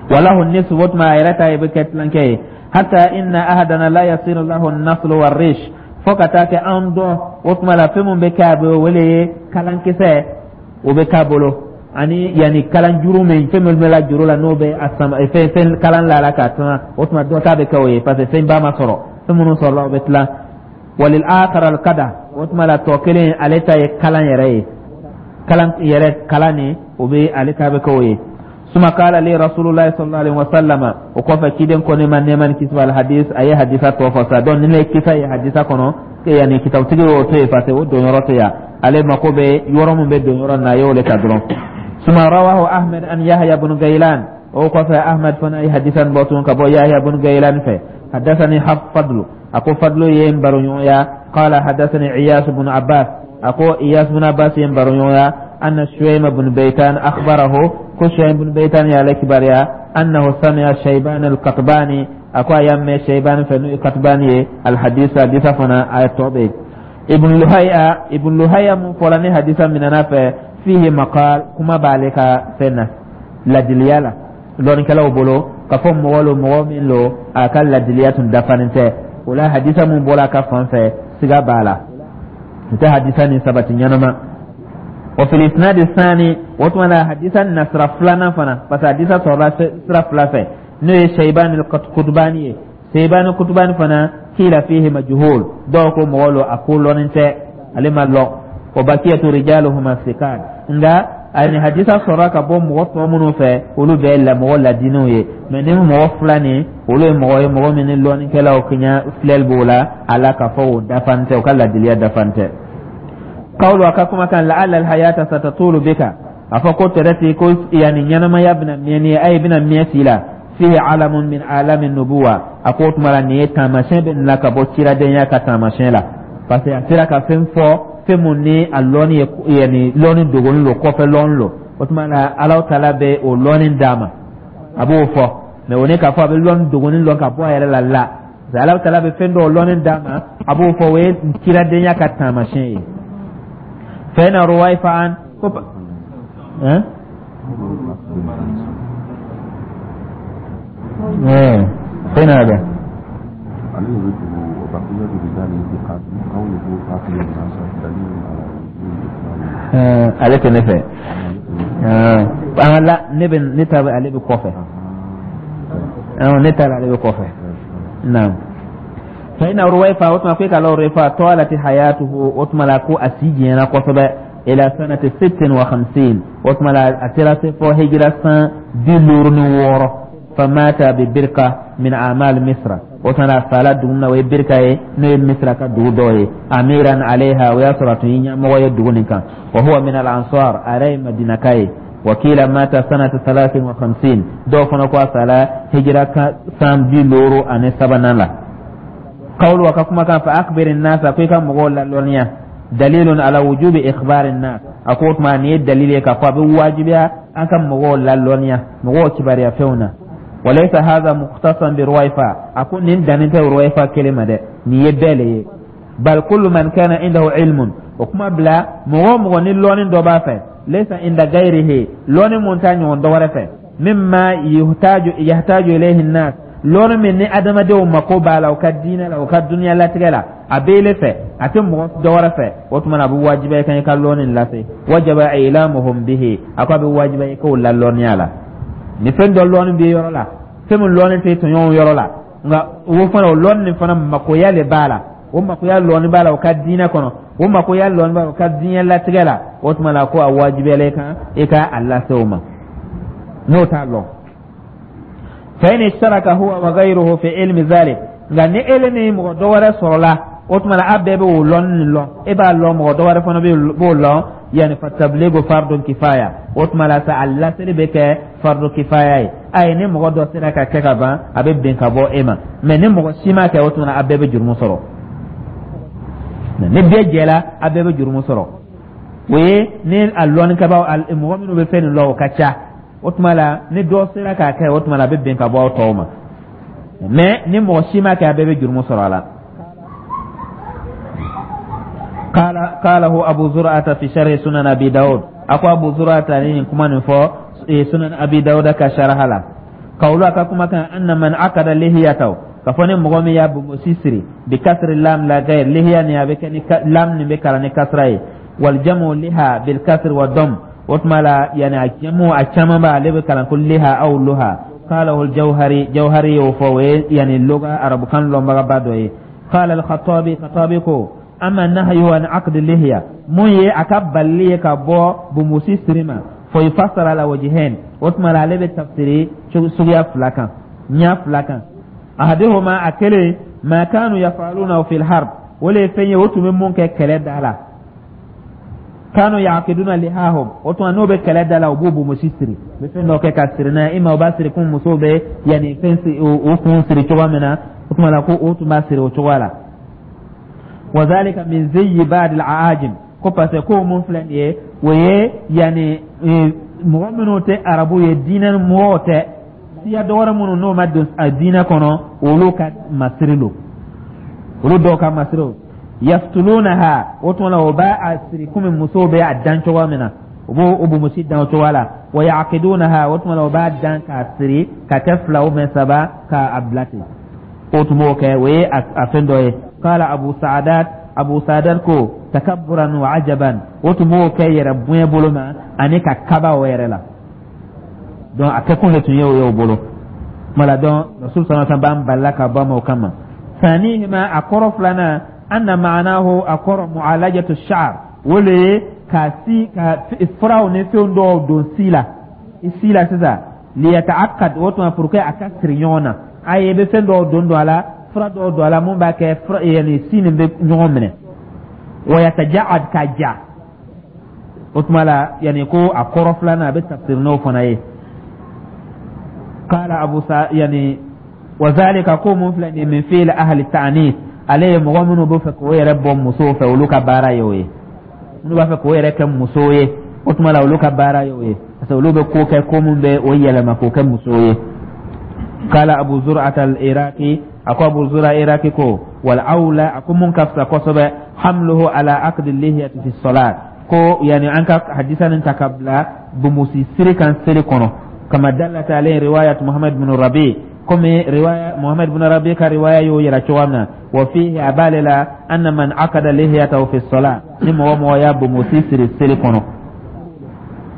Walahu nisfu, o tuma a yɛrɛ ta ye bɛ kɛ tilancɛ ye. Hatta inna ahadana la yasiru lahu naslu warrish, fo ka taa kɛ an dɔ, o tuma la fɛn mun bɛ kɛ a bɛ wele ye kalankisɛ, o bɛ k'a bolo, ani yanni kalanjuru min, fɛn min bɛ la juru la, n'o bɛ a sama fɛn kalan la k'a tuma, o tuma dɔ ta bɛ kɛ o ye, parce que fɛn ba ma sɔrɔ, fɛn minnu sɔrɔla, o bɛ tilan. Walil akhar al kada, o tuma la tɔ kelen, ale ta ye kalan yɛrɛ ye, kalan yɛrɛ kalan nin, o bɛ ale ta bɛ kɛ o ye. Suma kala li Rasulullah sallallahu alaihi wasallam, o kɔfɛ ciden ko ne ma, nɛɛma ni kisi b'a la. Hadis, a ye hadisa tɔ fɔ sa. Donc ni ne kisa ye hadisa kɔnɔ, yanni kitabutigi y'o to yen, parce que o don yɔrɔ tɛ yan, ale mako bɛ yɔrɔ min bɛ don yɔrɔ na, a y'o le ta dɔrɔn. Suma rawahu Ahmed an Yahya bin Gailan, o kɔfɛ Ahmed fana ye hadisa bɔ tun ka bɔ Yahya bin Gailan fɛ. Hadasani Fadlu, a ko Fadlu ye n baroɲɔgɔnya, qala hadasani Iyas bin Abbas, a ko Iyas bin Abbas ye n baroɲɔgɔnya, anna Shuaym bin Baytan akhbarahu, ko Shuaym bin Baytan y'ale kibaruya, annahu sami'a Shayban al-Qatbani, a ko a y'a mɛn Shayban fɛ, n'o ye Qatbani ye, al-hadisa, hadisa fana a tɔ bɛ Ibn Luhaya. Ibn Luhaya mun fɔla ni hadisa minɛna fɛ, fihi maqal, kuma b'ale ka fɛn na ladiliya la lɔnnikɛlaw bolo, k'a fɔ mɔgɔ lo, mɔgɔ min lo a ka ladiliya tun dafanen tɛ. O la hadisa mun bɔra a ka fan fɛ, siga b'a la, n tɛ hadisa nin sabati ɲɛnama. Wa fil isnad sani, o tuma la hadisa na sira filanan fana, parce que hadisa sɔrɔla sira fila fɛ, n'o ye Shayban al-Qutbani ye. Shayban al-Qutbani fana, kila fihi majhul, dɔw ko mɔgɔ lo a ko lɔnnen tɛ, ale ma lɔn. Wa bakiyatu rijaluhuma sikat, nka ani hadisa sɔrɔla ka bɔ mɔgɔ tɔ minnu fɛ, olu bɛɛ la mɔgɔ ladinɛw ye. Mais ni mɔgɔ fila nin, olu ye mɔgɔ ye, mɔgɔ min ni lɔnnikɛlaw kiɲa filɛli b'o la a la, k'a fɔ o dafan tɛ, o ka ladiliya dafan tɛ. Kawlu, a ka kuma kan, la'alla alhayata satatulu bika, a fɔ ko tɛrɛti ko yani ɲɛnamaya bɛna mɛn ni a ye bɛna mɛn si la, fihi alamun min alami nubuwa. A ko o tuma la nin ye taamasiyɛn bɛ nin la ka bɔ ciradenya ka taamasiyɛn la, parce que a sera ka fɛn fɔ, fɛn mun ni a lɔnni ye yani lɔnni dogolen lo, kɔfɛ lɔnni lo. O tuma la Alahu taala bɛ o lɔnni d'a ma, a b'o fɔ. Mais o ne k'a fɔ a bɛ lɔnni dogolen lɔn ka bɔ a yɛrɛ la la, parce que Alahu taala bɛ fɛn dɔw lɔnni d'a ma, a b'o fɔ, o ye ciradenya ka taamasiyɛn ye. Fɛn na ruwaifa an ko hein. ايه، فين هذا؟ بقية رجال ثقات. قوله أخبر الناس دليل على وجوب إخبار. Ale tɛ ne fɛ. An la ne bɛ ne ta bɛ ale bɛ kɔfɛ, ne ta la ale bɛ kɔfɛ. Naam. Fa inna Ruwayfa, o tuma ko e ka la Ruwayfa talat hayatuhu, o tuma la ko a si janyana kosɛbɛ, ila sanati 56, o tuma la a sera se fɔ hijira san 56. Famata bi Birka min amal Misra, o tuma la a fala dugu min na, o ye Birka ye, n'o ye Misra ka dugu dɔ ye. Amiran alayha, o y'a sɔrɔ a tun ye ɲɛmɔgɔ ye dugu nin kan. Wa huwa min al ansar, a yɛrɛ ye Madinaka ye. Wakila mata sanata 53, dɔw fana ko a sala hijira san 53nan la. Qawlu, a ka kumakan fa akhbir nasa, ko i ka mɔgɔw lalɔnniya, dalilun ala wujubi ikhbari nas. A ko o tuma nin ye dalili ye k'a fɔ a bɛ wajibiya an ka mɔgɔw lalɔnniya, mɔgɔw kibaruya fɛnw na. Walaysa hadha mukhtasan bi Ruwayfa, a ko nin dannin tɛ Ruwayfa kelen ma dɛ, nin ye bɛɛ le ye. Bal kullu man kana indahu ilmun, o kuma bila mɔgɔ o mɔgɔ ni lɔnni dɔ b'a fɛ, laysa inda gayrihi, lɔnni mun t'a ɲɔgɔn dɔ wɛrɛ fɛ, mimma yahtaju ilayhi nnas, lɔnni min ni adamadenw mako b'a la u ka diinɛ la, u ka duniya latigɛ la, a b'ele fɛ, a tɛ mɔgɔ dɔ wɛrɛ fɛ, o tuma na a bɛ wajibiya i kan i ka lɔnni lase. Wajaba ilamuhum bihi, a ko a bɛ wajibiya i k'o lalɔnniya la. Ni fɛn dɔ lɔnni bɛ yɔrɔ la, fɛn min lɔnni tɛ tɔɲɔgɔnw yɔrɔ la, nka o fana o lɔnni nin fana makoya le b'a la, o makoya lɔnni b'a la o ka diinɛ kɔnɔ, o makoya lɔnni b'a la o ka diɲɛ latigɛ la, o tuma la ko a wajibiyala i kan i ka a lase o ma n'o t'a lɔn. Fa in ishtaraka huwa wa ghayruhu fi ilmi dhalik, nka ni ele ni mɔgɔ dɔ wɛrɛ sɔrɔla, o tuma la a bɛɛ bɛ o lɔnni nin lɔn, e b'a lɔn, mɔgɔ dɔ wɛrɛ fana b'o lɔn, yani fa tabligu fardun kifaya, o tuma la sa a laseli bɛ kɛ fardu kifaya ye. Ayi, ni mɔgɔ dɔ sera ka kɛ ka ban, a bɛ bin ka bɔ e ma, mɛ ni mɔgɔ si ma kɛ, o tuma la a bɛɛ bɛ jurumu sɔrɔ. Ni bɛɛ jɛla, a bɛɛ bɛ jurumu sɔrɔ. O ye ni a lɔnnikɛbaaw, mɔgɔ minnu bɛ fɛn nin lɔn, o ka ca, o tuma la ni dɔ sera k'a kɛ, o tuma la a bɛ bin ka bɔ aw tɔw ma, mɛ ni mɔgɔ si ma kɛ, a bɛɛ bɛ jurumu sɔrɔ a la. Qalahu Abu Zur'ata fi sharh Sunan Abi Dawud, a ko Abu Zur'ata ni nin kuma nin fɔ Sunan Abi Dawud ka sharha la. Qawlu, a ka kuma kan anna man aqada lihiyatahu, ka fɔ ni mɔgɔ min y'a bonbosi siri, bi kasri lam la gayr, lihiya ni a bɛ kɛ ni lam nin bɛ kalan ni kasra ye, wal jamu liha bil kasri wa dam, o tuma la yani a jamu a caman ba ale bɛ kalan ko liha aw luha. Qalahu al Jawhari, Jawhari y'o fɔ, o ye yani loga arabukan lɔnbagaba dɔ ye. Qala al Khattabi, Khattabi ko amma nahyu an aqd lihiya, mun ye a ka balili ye ka bɔ bonbosi siri ma, fo yufassara ala wajhain, o tuma la ale bɛ tafsiri suguya fila kan, ɲa fila kan. Ahaduhuma, a kelen, ma kanu yafaluna fil harb, o le ye fɛn ye o tun bɛ mun kɛ kɛlɛ da la. Kanu yaqiduna lihahum, o tuma n'o bɛ kɛlɛ da la, u b'u bonbosi siri, u bɛ fɛn dɔ kɛ ka siri n'a ye, i ma u b'a siri komi musow bɛ yanni fɛn o kun siri cogoya min na, o tuma la ko o tun b'a siri o cogoya la. Wa zalika min ziyyi ba'd al-aajim, ko parce que ko mun filɛ nin ye, o ye yanni mɔgɔ minnu tɛ arabu ye, diinɛ mɔgɔw tɛ, siya dɔ wɛrɛ minnu n'o ma don a diinɛ kɔnɔ, olu ka masiri don, olu dɔw ka masiri don. Yaftulunaha, o tuma la o b'a a siri komi musow bɛ a dan cogoya min na, u b'o o bonbosi dan o cogoya la. Wa yaqidunaha, o tuma la o b'a dan k'a siri ka kɛ fila ou bien saba k'a bila ten, o tun b'o kɛ, o ye a fɛn dɔ ye. Qala Abu Sa'adat, Abu Sa'adat ko takabburan wa ajaban, o tun b'o kɛ yɛrɛ bonya bolo ma ani ka kaba o yɛrɛ la. Donc a kɛkun de tun ye o ye o bolo mala. Donc Rasul sallallahu alaihi wasallam b'an balila ka bɔ a ma o kama. Sanihima, a kɔrɔ filanan, anna ma'anahu, a kɔrɔ mu'alajatu sha'r, o le ye ka si ka furaw ni fɛn dɔw don si la, i si la sisan, liyata'aqqad, o tuma pour que a ka siri ɲɔgɔn na, a ye i bɛ fɛn dɔw don a la, fura dɔw don a la mun b'a kɛ fura yani si nin bɛ ɲɔgɔn minɛ, wa yataja'ad, ka ja. O tuma la yani ko a kɔrɔ filanan a bɛ tafsir n'o fana ye. Qala Abu Sa, yani wa zalika, ko mun filɛ nin ye, min fi'l ahli ta'nis, ale ye mɔgɔ minnu bɛ fɛ k'o yɛrɛ bɔ musow fɛ, olu ka baara ye o ye. Minnu b'a fɛ k'o yɛrɛ kɛ musow ye, o tuma la olu ka baara ye o ye, parce que olu bɛ ko kɛ ko mun bɛ o yɛlɛma k'o kɛ muso ye. Qala Abu Zur'at al-Iraqi, a ko Abu Zur'a Iraqi ko wal awla, a ko mun ka fisa kosɛbɛ, hamluhu ala aqdi lihiyati fi salat, ko yani an ka hadisa nin ta ka bila bonbosi siri kan seli kɔnɔ, kama dallat alayhi riwayat Muhammad bin Rabi. Komi riwaya Muhammad ibn Rabi ka riwaya y'o yira cogoya min na. Wa fihi, a b'ale la, anna man akada lihiyatahu fi salat, ni mɔgɔ mɔgɔ y'a bonbosi siri seli kɔnɔ,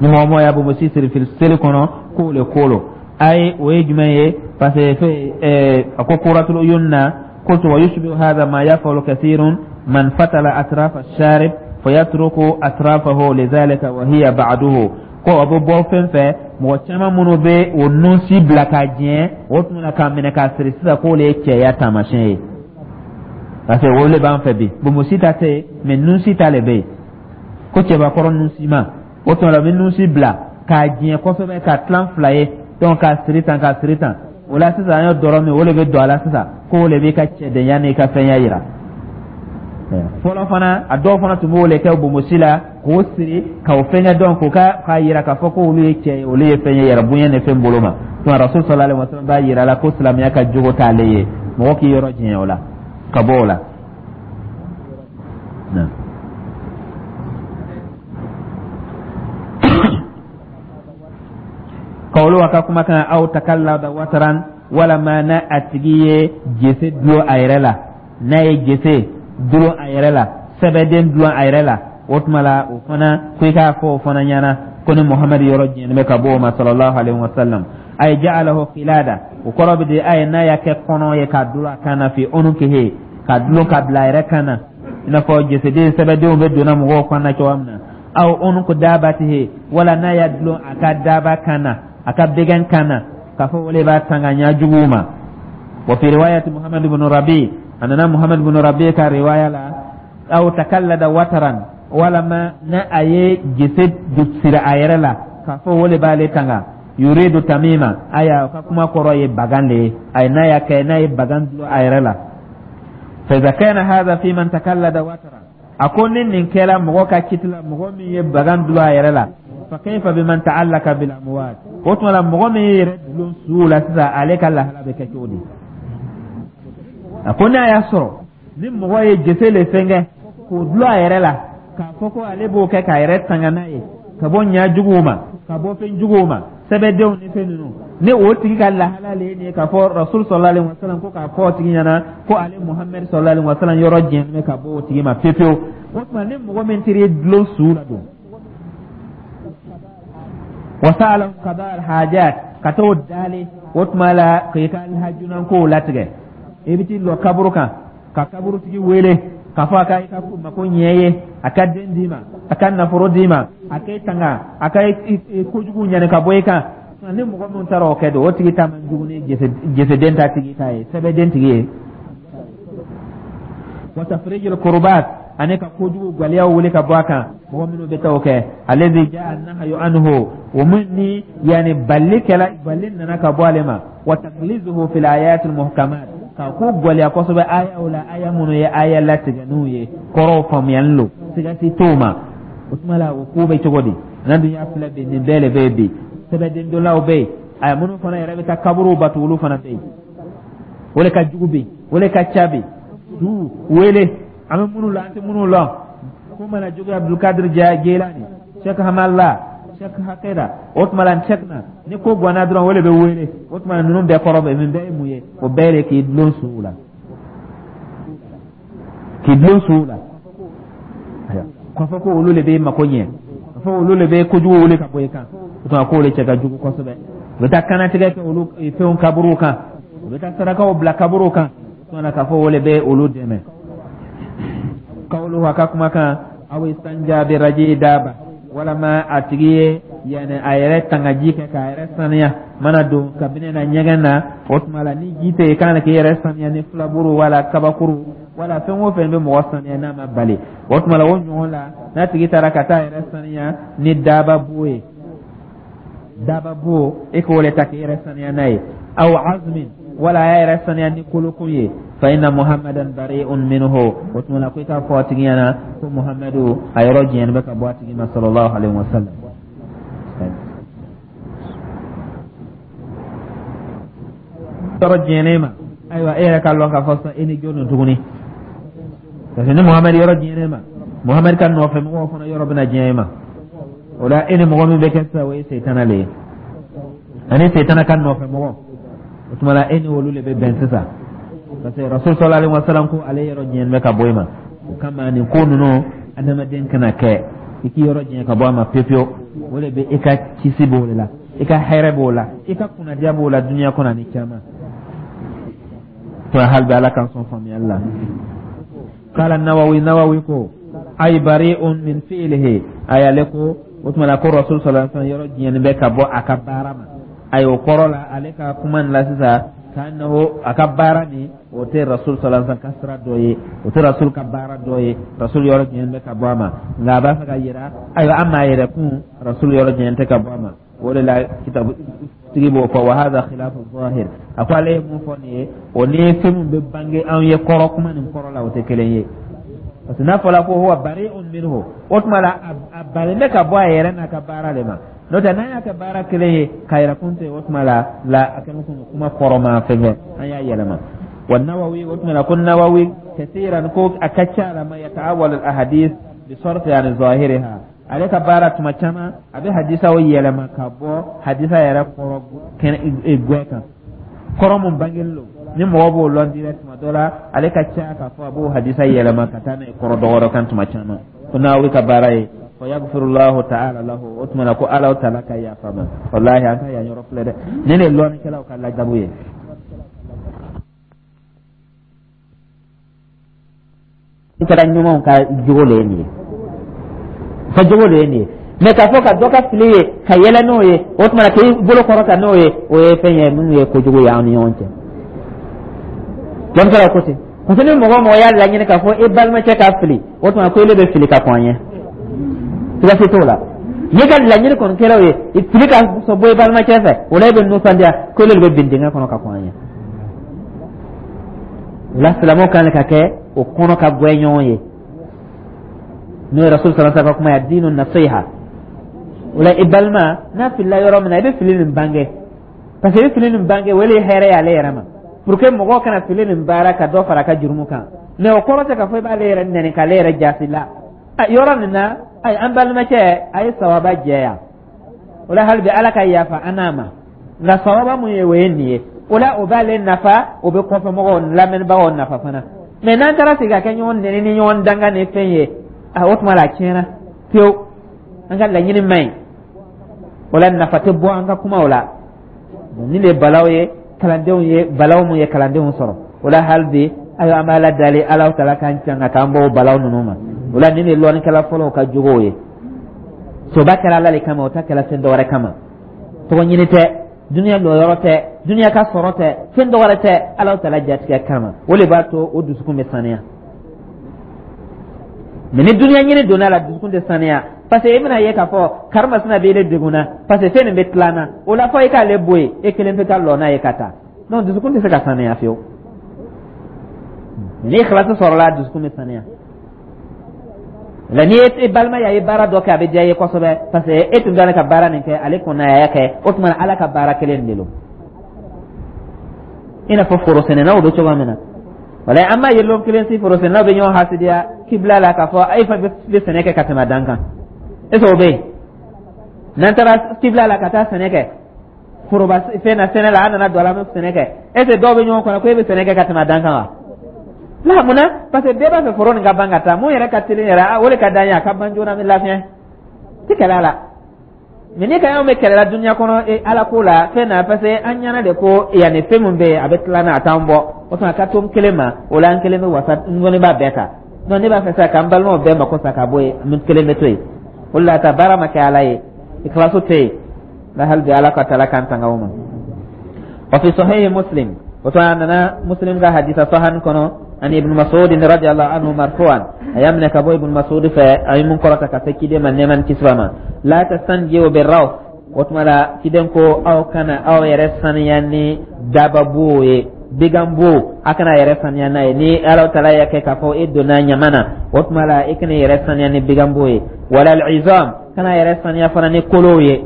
ni mɔgɔ mɔgɔ y'a bonbosi siri seli kɔnɔ, k'o le ko lo. Ayi, o ye jumɛn ye? Parce que fɛ a ko Qurratul Uyun na: qultu wa yushbihu hadha ma yafalu kathirun man fatala atrafa ash-sharib fayatruku atrafahu lidhalika wa hiya ba'duhu. Ko a bɛ bɔ fɛn fɛ, mɔgɔ caman minnu bɛ o nunsi bila ka jɛ, o tun na k'a minɛ k'a siri sisan, k'o le ye cɛya taamasiyɛn ye, parce que o le b'an fɛ bi. Bonbosi ta tɛ yen, mais nunsi ta le bɛ yen, ko cɛbakɔrɔ nunsi ma. O tuma la, u bɛ nunsi bila k'a jɛ kosɛbɛ, k'a tilan fila ye, donc k'a siri tan, k'a siri tan. O la sisan, an ye dɔrɔ min, o le bɛ don a la sisan, k'o le b'i ka cɛdenya n'i ka fɛnya yira. Fɔlɔ fana, a dɔw fana tun b'o le kɛ bonbosi la, k'o siri k'o fɛngɛ dɔn, k'o ka k'a yira k'a fɔ ko olu ye cɛ ye, olu ye fɛn ye yɛrɛ bonya ni fɛn bolo ma. Tuma Rasul sallallahu alaihi wasallam b'a yira la ko silamɛya ka jogo t'ale ye, mɔgɔ k'i yɔrɔ janya o la, ka bɔ o la. Kawulu, a ka kumakan, aw takallada wataran, walama n'a a tigi ye jese dulon a yɛrɛ la, n'a ye jese dulon a yɛrɛ la, sɛbɛden dulon a yɛrɛ la, o tuma la, o fana ko i k'a fɔ o fana ɲɛna ko ni Muhamadu yɔrɔ jɛnen bɛ ka bɔ o ma, sallallahu alaihi wasallam. Ay ja'alahu qilada, o kɔrɔ bɛ di? A ye n'a y'a kɛ kɔnɔ ye k'a dulon a kan na, fi unukihi, k'a dulon ka bila a yɛrɛ kan na, i n'a fɔ jeseden sɛbɛdenw bɛ donna mɔgɔw kan na cogoya min na. Aw unuku dabatihi, wala n'a y'a dulon a ka daba kan na, a ka bɛgɛn kan na, k'a fɔ o le b'a tanga ɲa juguw ma. Wa fi riwayati Muhammad ibn Rabi, a nana Muhammad ibn Rabi ka riwaya la, aw takallada wataran, walama na a ye jese siri a yɛrɛ la, k'a fɔ o le b'ale tanga, yuridu tamima, aya ka kuma kɔrɔ ye bagan de ye. A n'a y'a kɛ, n'a ye bagan dulon a yɛrɛ la. Fa idha kana hadha fi man takallada wataran, a ko ni nin kɛra mɔgɔ ka kiti la, mɔgɔ min ye bagan dulon a yɛrɛ la, fa kayfa biman ta'allaka bil amwat? O tuma la, mɔgɔ min ye yɛrɛ dulon suw la sisan, ale ka lahala bɛ kɛ cogo di? A ko n'a y'a sɔrɔ ni mɔgɔ ye jese le fɛnkɛ k'o dulon a yɛrɛ la, k'a fɔ ko ale b'o kɛ k'a yɛrɛ tanga n'a ye ka bɔ ɲa juguw ma, ka bɔ fɛn juguw ma, sɛbɛdenw ni fɛn ninnu, ni o tigi ka lahala le ye nin ye, k'a fɔ Rasul sallallahu alaihi wasallam ko k'a fɔ o tigi ɲɛna ko ale Muhammed sallallahu alaihi wasallam yɔrɔ jɛnnen bɛ ka bɔ o tigi ma pewu pewu. O tuma, ni mɔgɔ min taar'i dulon su la dun, wa sa'alahum qada al-hajat, ka t'o dali, o tuma la k'i ka hajunankow latigɛ, i bɛ t'i lɔ kaburu kan ka kaburutigi wele k'a fɔ a ka i ka mako ɲɛ ye, a ka den d'i ma, a ka nafolo d'i ma, a k'e tanga, a ka kojugu ɲani ka bɔ i kan, ni mɔgɔ min taara o kɛ don, o tigi ta man jugu ni jeseden ta tigi ta ye, sɛbɛden tigi ye. Wa tafrijil kurbat, ani ka kojugu gwaliyaw wuli ka bɔ a kan, mɔgɔ minnu bɛ taa o kɛ, alladhi jaa nahyu anhu, o min ni yani balli kɛla, balli nana ka bɔ ale ma, wa taglizuhu fil ayatil muhkamat, ka ko gwɛlɛya kosɛbɛ ayaw la, aya minnu ye aya latigɛninw ye, kɔrɔw faamuyali lo, siga si t'o ma. O tuma la, o ko bɛ cogo di? N'an dun y'a filɛ bi, nin bɛɛ le bɛ yen bi. Sɛbɛden donlaw bɛ yen, a minnu fana yɛrɛ bɛ taa kaburuw batu, olu fana bɛ yen. O le ka jugu bi, o le ka ca bi. Su wele, an bɛ minnu la, an tɛ minnu lɔn, ko mana juguya, Abdulkadir Jelani, Sheikh Hamala, Sheikh Hakeda, o tuma la Sheikh na ni ko ganna dɔrɔn, o le bɛ wele. O tuma ninnu bɛɛ kɔrɔ bɛ nin bɛɛ ye mun ye? O bɛɛ de k'i dulon suw la, k'i dulon suw la, k'a fɔ ko olu de bɛ mako ɲɛ, k'a fɔ olu de bɛ kojugu wuli ka bɔ i kan. O tuma k'o de cɛ ka jugu kosɛbɛ. U bɛ taa kanatigɛ kɛ olu fɛnw kaburuw kan, u bɛ taa sarakaw bila kaburuw kan, tuma k'a fɔ o de bɛ olu dɛmɛ. Kawulu, a ka kumakan, aw istanja bi raji daba, walama a tigi ye yani a yɛrɛ tangaji kɛ k'a yɛrɛ saniya, mana don kabini na ɲɛgɛn na. O tuma la, ni ji tɛ yen, kan k'i yɛrɛ saniya ni filaburu wala kabakuru wala fɛn o fɛn bɛ mɔgɔ saniya n'a ma bali. O tuma la, o ɲɔgɔn la, n'a tigi taara ka taa yɛrɛ saniya ni daba bo ye, daba bo, e k'o le ta k'i yɛrɛ saniya n'a ye, aw azmin, wala a y'a yɛrɛ saniya ni kolokun ye, fa inna Muhammadan bari'un minhu. O tuma la, ko i k'a fɔ a tigi ɲɛna ko Muhammadu a yɔrɔ jɛnnen bɛ ka bɔ a tigi ma, sallallahu alaihi wa sallam. Yɔrɔ jɛnnen ma, ayiwa, e yɛrɛ k'a lɔn k'a fɔ sisan e ni jɔn don tuguni? Parce que ni Muhamadu yɔrɔ jɛnnen ma, Muhamadu ka nɔfɛ mɔgɔw fana yɔrɔ bɛna jɛn e ma. O la, e ni mɔgɔ min bɛ kɛ sisan, o ye Seyitana le ye, ani Seyitana ka nɔfɛ mɔgɔ. O tuma la, e ni olu de bɛ bɛn sisan, parce que Rasul sallallahu alaihi wasallam ko ale yɔrɔ janyalen bɛ ka bɔ i ma. O kama, nin ko ninnu, adamaden kana kɛ i k'i yɔrɔ janya ka bɔ a ma pewu pewu. O de bɛ i ka kisi b'o de la, i ka hɛrɛ b'o la, i ka kunnadiya b'o la dunuya kɔnɔ ani caman to. Hali bi, Ala k'an sɔn faamuyali la. Qala Nawawi, Nawawi ko: ay bari'un min fi'lihi. Ay, ale ko o tuma la ko Rasul sallallahu alaihi wasallam yɔrɔ janyalen bɛ ka bɔ a ka baara ma. Ayi, o kɔrɔ la, ale ka kuma nin la sisan, k'annahu a ka baara nin, o tɛ Rasul sallallahu alaihi wasallam ka sira dɔ ye, o tɛ Rasul ka baara dɔ ye. Rasul yɔrɔ janyalen bɛ ka bɔ a ma, nka a b'a fɛ ka yira, ayiwa, an m'a yɛrɛ kun, Rasul yɔrɔ janyalen tɛ ka bɔ a ma. O de la, kitabu tigi b'o fɔ: wa hadha khilafu zahir. A ko ale ye mun fɔ nin ye, o ni fɛn min bɛ bange anw ye kɔrɔ, kuma nin kɔrɔ la, o tɛ kelen ye, parce que n'a fɔra ko huwa bari'un minhu, o tuma la a balen bɛ ka bɔ a yɛrɛ n'a ka baara de ma. N'o tɛ, n'an y'a kɛ baara kelen ye k'a yɛrɛ kun tɛ, o tuma la a kɛlen komi kuma kɔrɔ ma fɛn kɛ, an y'a yɛlɛma. Wa Nawawi, o tuma la ko Nawawi kasiran, ko a ka ca la ma yata'awwal al ahadith bi sarfi an zahiriha. Ale ka baara, tuma caman a bɛ hadisaw yɛlɛma ka bɔ hadisa yɛrɛ kɔrɔ kɛnɛ gwɛ kan, kɔrɔ mun bangelen don ni mɔgɔ b'o lɔn direct. Tuma dɔ la, ale ka ca k'a fɔ a b'o hadisa yɛlɛma ka taa n'a ye kɔrɔ dɔgɔdɔ kan tuma caman. Ko Nawawi ka baara ye, fa yaghfirullahu ta'ala lahu. O tuma na ko Ala ta'ala ka yafa ma. Wallahi, an ka yan yɔrɔ filɛ dɛ, ne de ye lɔnnikɛlaw ka ladabu ye. Kɛra ɲumanw ka jogo le ye nin ye, ka jogo le ye nin ye. Mɛ k'a fɔ ka dɔ ka fili ye ka yɛlɛ n'o ye, o tuma na k'i bolo kɔrɔta n'o ye, o ye fɛn ye minnu ye kojugu ye an ni ɲɔgɔn cɛ. Lɔnnikɛlaw ko ten, parce que ni mɔgɔ o mɔgɔ y'a laɲini k'a fɔ e balimacɛ ka fili, o tuma ko ele bɛ fili ka kɔn a ɲɛ, siga si t'o la. N'i ka laɲini kɔni kɛra o ye, fili ka bɔ i balimacɛ fɛ, o la e bɛ nisɔndiya ko ele de bɛ bin dingɛ kɔnɔ ka kɔn a ɲɛ. O la, silamɛw kan ka kɛ o kɔnɔ ka gwɛ ɲɔgɔn ye, n'o ye Rasul sallallahu alaihi wasallam ka kuma ye: dinu nasiha. O la, i balima n'a filila yɔrɔ min na, i bɛ fili nin bange, parce que i bɛ fili nin bange, o de ye hɛrɛ ye ale yɛrɛ ma, pour que mɔgɔw kana fili nin baara ka dɔ fara a ka jurumu kan. Mais o kɔrɔ tɛ k'a fɔ i b'ale yɛrɛ nɛni k'ale yɛrɛ jasi la yɔrɔ nin na. Ayi, an balimacɛ, a ye sawaba jɛya. O la, hali bi, Ala ka yafa an n'a ma, nka sawaba mun ye, o ye nin ye. O la, o b'ale nafa, o bɛ kɔfɛmɔgɔw lamɛnnibagaw nafa fana. Mɛ n'an taara sigi ka kɛ ɲɔgɔn nɛni ni ɲɔgɔn danga ni fɛn ye, a o tuma la, a tiɲɛna pewu, an ka laɲini man ɲi. O la, nafa tɛ bɔ an ka kumaw la. Nin de ye balaw ye kalandenw ye, balaw mun ye kalandenw sɔrɔ. O la, hali bi, ayiwa, an b'Ala dali, Ala taala k'an can ka k'an bɔ o balaw ninnu ma. O la, nin de ye lɔnnikɛla fɔlɔw ka jogow ye. Soba kɛra Ala de kama, o ta kɛra fɛn dɔ wɛrɛ kama. Tɔgɔ ɲini tɛ, duniya lɔyɔrɔ tɛ, duniya ka sɔrɔ tɛ, fɛn dɔ wɛrɛ tɛ, Ala taala jatigɛ kama. O de b'a to o dusukun bɛ saniya. Mɛ ni duniya ɲini donna la, dusukun tɛ saniya, parce que i bɛna ye k'a fɔ karimasina bɛ e degun na, parce que fɛn nin bɛ tila na. O la, fɔ i k'ale bɔ yen, e kelen bɛ ka lɔ n'a ye ka taa. Donc dusukun tɛ se ka saniya fiyewu. Ni ikhlasi sɔrɔla, dusukun bɛ saniya la. N'i ye balima ye, a ye baara dɔ kɛ, a bɛ diya i ye kosɛbɛ, parce que e tun tɛ ka baara nin kɛ, ale kɔni a y'a kɛ. O tuma, Ala ka baara kelen de don, i n'a fɔ forosɛnɛnaw bɛ cogoya min na. Wala an b'a ye lon kelen si, forosɛnɛnaw bɛ ɲɔgɔn hasidiya kibila la k'a fɔ e fa bɛ sɛnɛ kɛ ka tɛmɛ a dan kan. Est ce que o bɛ yen? N'an taara kibila la ka taa sɛnɛ kɛ foroba fɛn na, sɛnɛ la, an nana don a la, an bɛ sɛnɛ kɛ, est ce que dɔw bɛ ɲɔgɔn kɔnɔ ko e bɛ sɛnɛ kɛ ka tɛmɛ a dan kan wa? La, mun na? Parce que bɛɛ b'a fɛ foro nin ka ban ka taa. Mun yɛrɛ ka teli yɛrɛ, o de ka d'an ye, a ka ban joona, an bɛ lafiya ti kɛlɛ la. Mɛ ni ka anw bɛ kɛlɛ la dunuya kɔnɔ Ala ko la fɛn na, parce que an ɲɛna de ko yanni fɛn min bɛ yen, a bɛ tila n'a, a t'an bɔ. O tuma, ka to n kelen ma, o la n kelen bɛ wasa, n kɔni b'a bɛɛ ta. Donc ne b'a fɛ sa k'an balimaw bɛɛ mako sa ka bɔ yen, n kelen bɛ to yen. O de la, ta baara ma kɛ Ala ye, ikhlasu tɛ yen la. Hali bi, Ala ka taala k'an tanga o ma. Wa fi sahihi Muslim, o to a nana Muslim ka hadisa sahan kɔnɔ, ani Ibn Mas'ud radiyallahu anhu marfu'an, a y'a minɛ ka bɔ Ibn Mas'ud fɛ, a ye mun kɔrɔta ka se ciden ma, nɛɛma ni kisi b'a ma: la tastanjiu birraws. O tuma la, ciden ko aw kana aw yɛrɛ saniya ni dababo ye, biganbo, a kana yɛrɛ saniya n'a ye. Ni Ala taala y'a kɛ k'a fɔ e donna ɲama na, o tuma la i kana yɛrɛ saniya ni biganbo ye. Wala al-izam, kana yɛrɛ saniya fana ni kolow ye,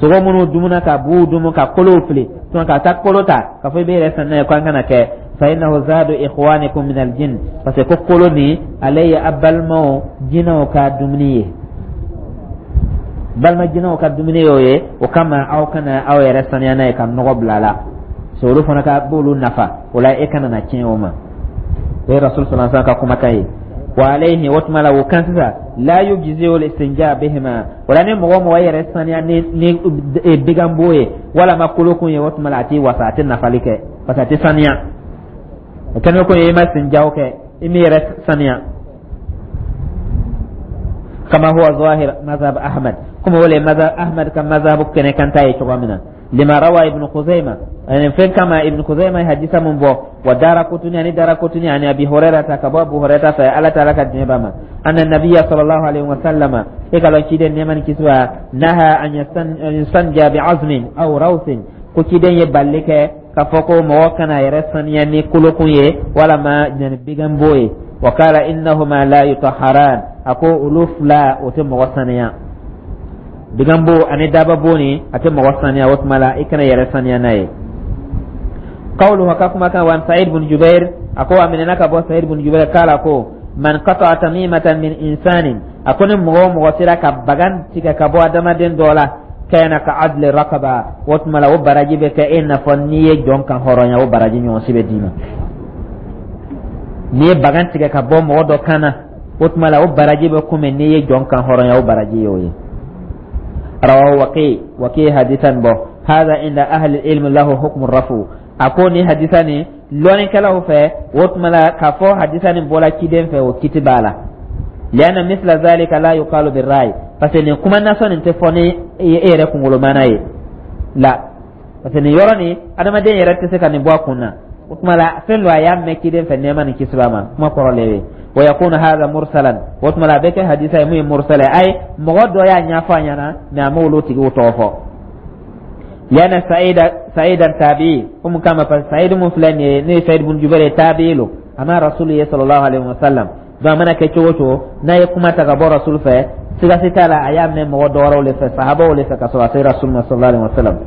sogo minnu dumuna ka buw dumu ka kolow fili tuma, ka taa kolo ta k'a fɔ i bɛ yɛrɛ saniya ko an kana kɛ. Fa innahu zadu ikhwanikum min aljin, parce que ko kolo nin, ale ye a balimaw jinɛw ka dumuni ye, balima jinɛw ka dumuni y'o ye. O kama, aw kana aw yɛrɛ saniya n'a ye ka nɔgɔ bila a la. So olu fana ka b'olu nafa o la, e kana na tiɲɛ o ma. O ye Rasul sallallahu alaihi wasallam ka kumakan ye. Wa alayhi, o tuma la o kan sisan, la yujzi'u al-istinja bihima. O la ni mɔgɔ o mɔgɔ yɛrɛ saniya ni biganbo ye walama kolokun ye, o tuma la a t'i wasa, a tɛ nafali kɛ, parce que a tɛ saniya. O kɛnɛ ko ye i ma istinjaw kɛ, i m'i yɛrɛ saniya. Kama huwa zahir mazhab Ahmad, kuma wale mazhab Ahmad ka mazhab kɛnɛ kan ta ye cogo min na. Lima rawa Ibn Khuzaima, ani fɛn kama Ibn Khuzaima ye hadisa mun bɔ, wa Darakutuni, ani Darakutuni, ani Abi Hurairata, ka bɔ Abu Hurairata fɛ, Ala ta'ala ka diɲɛ ba ma, anna nabiyya sallallahu alaihi wa sallama, e ka lɔn ciden nɛɛma ni kisi b'a, naha an yastanja bi azmin aw rawsin, ko ciden ye balili kɛ k'a fɔ ko mɔgɔ kana yɛrɛ saniya ni kolokun ye walama yani biganbo ye. Wa qala innahuma la yutahharan, a ko olu fila o tɛ mɔgɔ saniya, biganbo ani dababo ni a tɛ mɔgɔ saniya. O tuma la i kana yɛrɛ saniya n'a ye. Qawluhu, ka kuma kan, wa Sa'id bin Jubair, a ko a minɛna ka bɔ Sa'id bin Jubair kala ko man qata'a tamimatan min insanin, a ko ni mɔgɔ o mɔgɔ sera ka bagan tigɛ ka bɔ adamaden dɔ la, kana ka adli raqaba, o tuma la o baraji bɛ kɛ e n'a fɔ n'i ye jɔn kan hɔrɔnya, o baraji ɲɔgɔn si bɛ d'i ma. N'i ye bagan tigɛ ka bɔ mɔgɔ dɔ kan na, o tuma la o baraji bɛ komi n'i ye jɔn kan hɔrɔnya, o baraji ye o ye. Rawahu Waqi, Waqi hadisan bɔ. Hada inda ahli ilmi lahu hukmu rafu, a ko ni hadisa ni lɔnnikɛlaw fɛ, o tuma la k'a fɔ hadisa ni bɔla ciden fɛ, o kiti b'a la. Lianna misla zalika la yuqalu birra'i, parce que nin kuma nasɔn nin tɛ fɔ ni e yɛrɛ kunkolo mana ye la, parce que nin yɔrɔ nin adamaden yɛrɛ tɛ se ka nin bɔ a kun na. O tuma la fɛn dɔ a y'a mɛn ciden fɛ, nɛɛma ni kisi b'a ma, kuma kɔrɔ le ye. Wa yakunu hadha mursalan, o tuma la a bɛ kɛ hadisa ye mun ye mursala ye, ayi mɔgɔ dɔ y'a ɲɛfɔ a ɲɛna, mais a m'olu tigiw tɔgɔ fɔ. Lianna Sa'ida Sa'idan tabi'i, o mun kama? Parce que Sa'id mun filɛ nin ye, n'o ye Sa'id bin Jubair ye, tabi'i lo, a ma Rasulu ye sallallahu alaihi wa sallam. Donc a mana kɛ cogo o cogo, n'a ye kuma ta ka bɔ Rasul fɛ, siga si t'a la a y'a mɛn mɔgɔ dɔ wɛrɛw le fɛ, sahabaw le fɛ, ka sɔrɔ a se Rasul ma sallallahu alaihi wa sallam.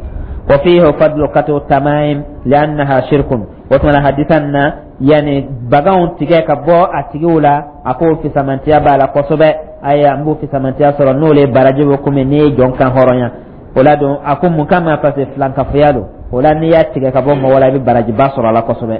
Wa fihi fadlu qat'u tamaim li'annaha shirkun. O tuma na hadisan na yani baganw tigɛ ka bɔ a tigiw la, a k'o fisamantiya b'a la kosɛbɛ. Ayiwa, n b'o fisamantiya sɔrɔ, n'o le baraji bɛ komi n'i ye jɔn kan hɔrɔnya o la. Don a ko mun kama? Parce que filankafoya don. O la n'i y'a tigɛ ka bɔ mɔgɔ la, i bɛ barajiba sɔrɔ a la kosɛbɛ.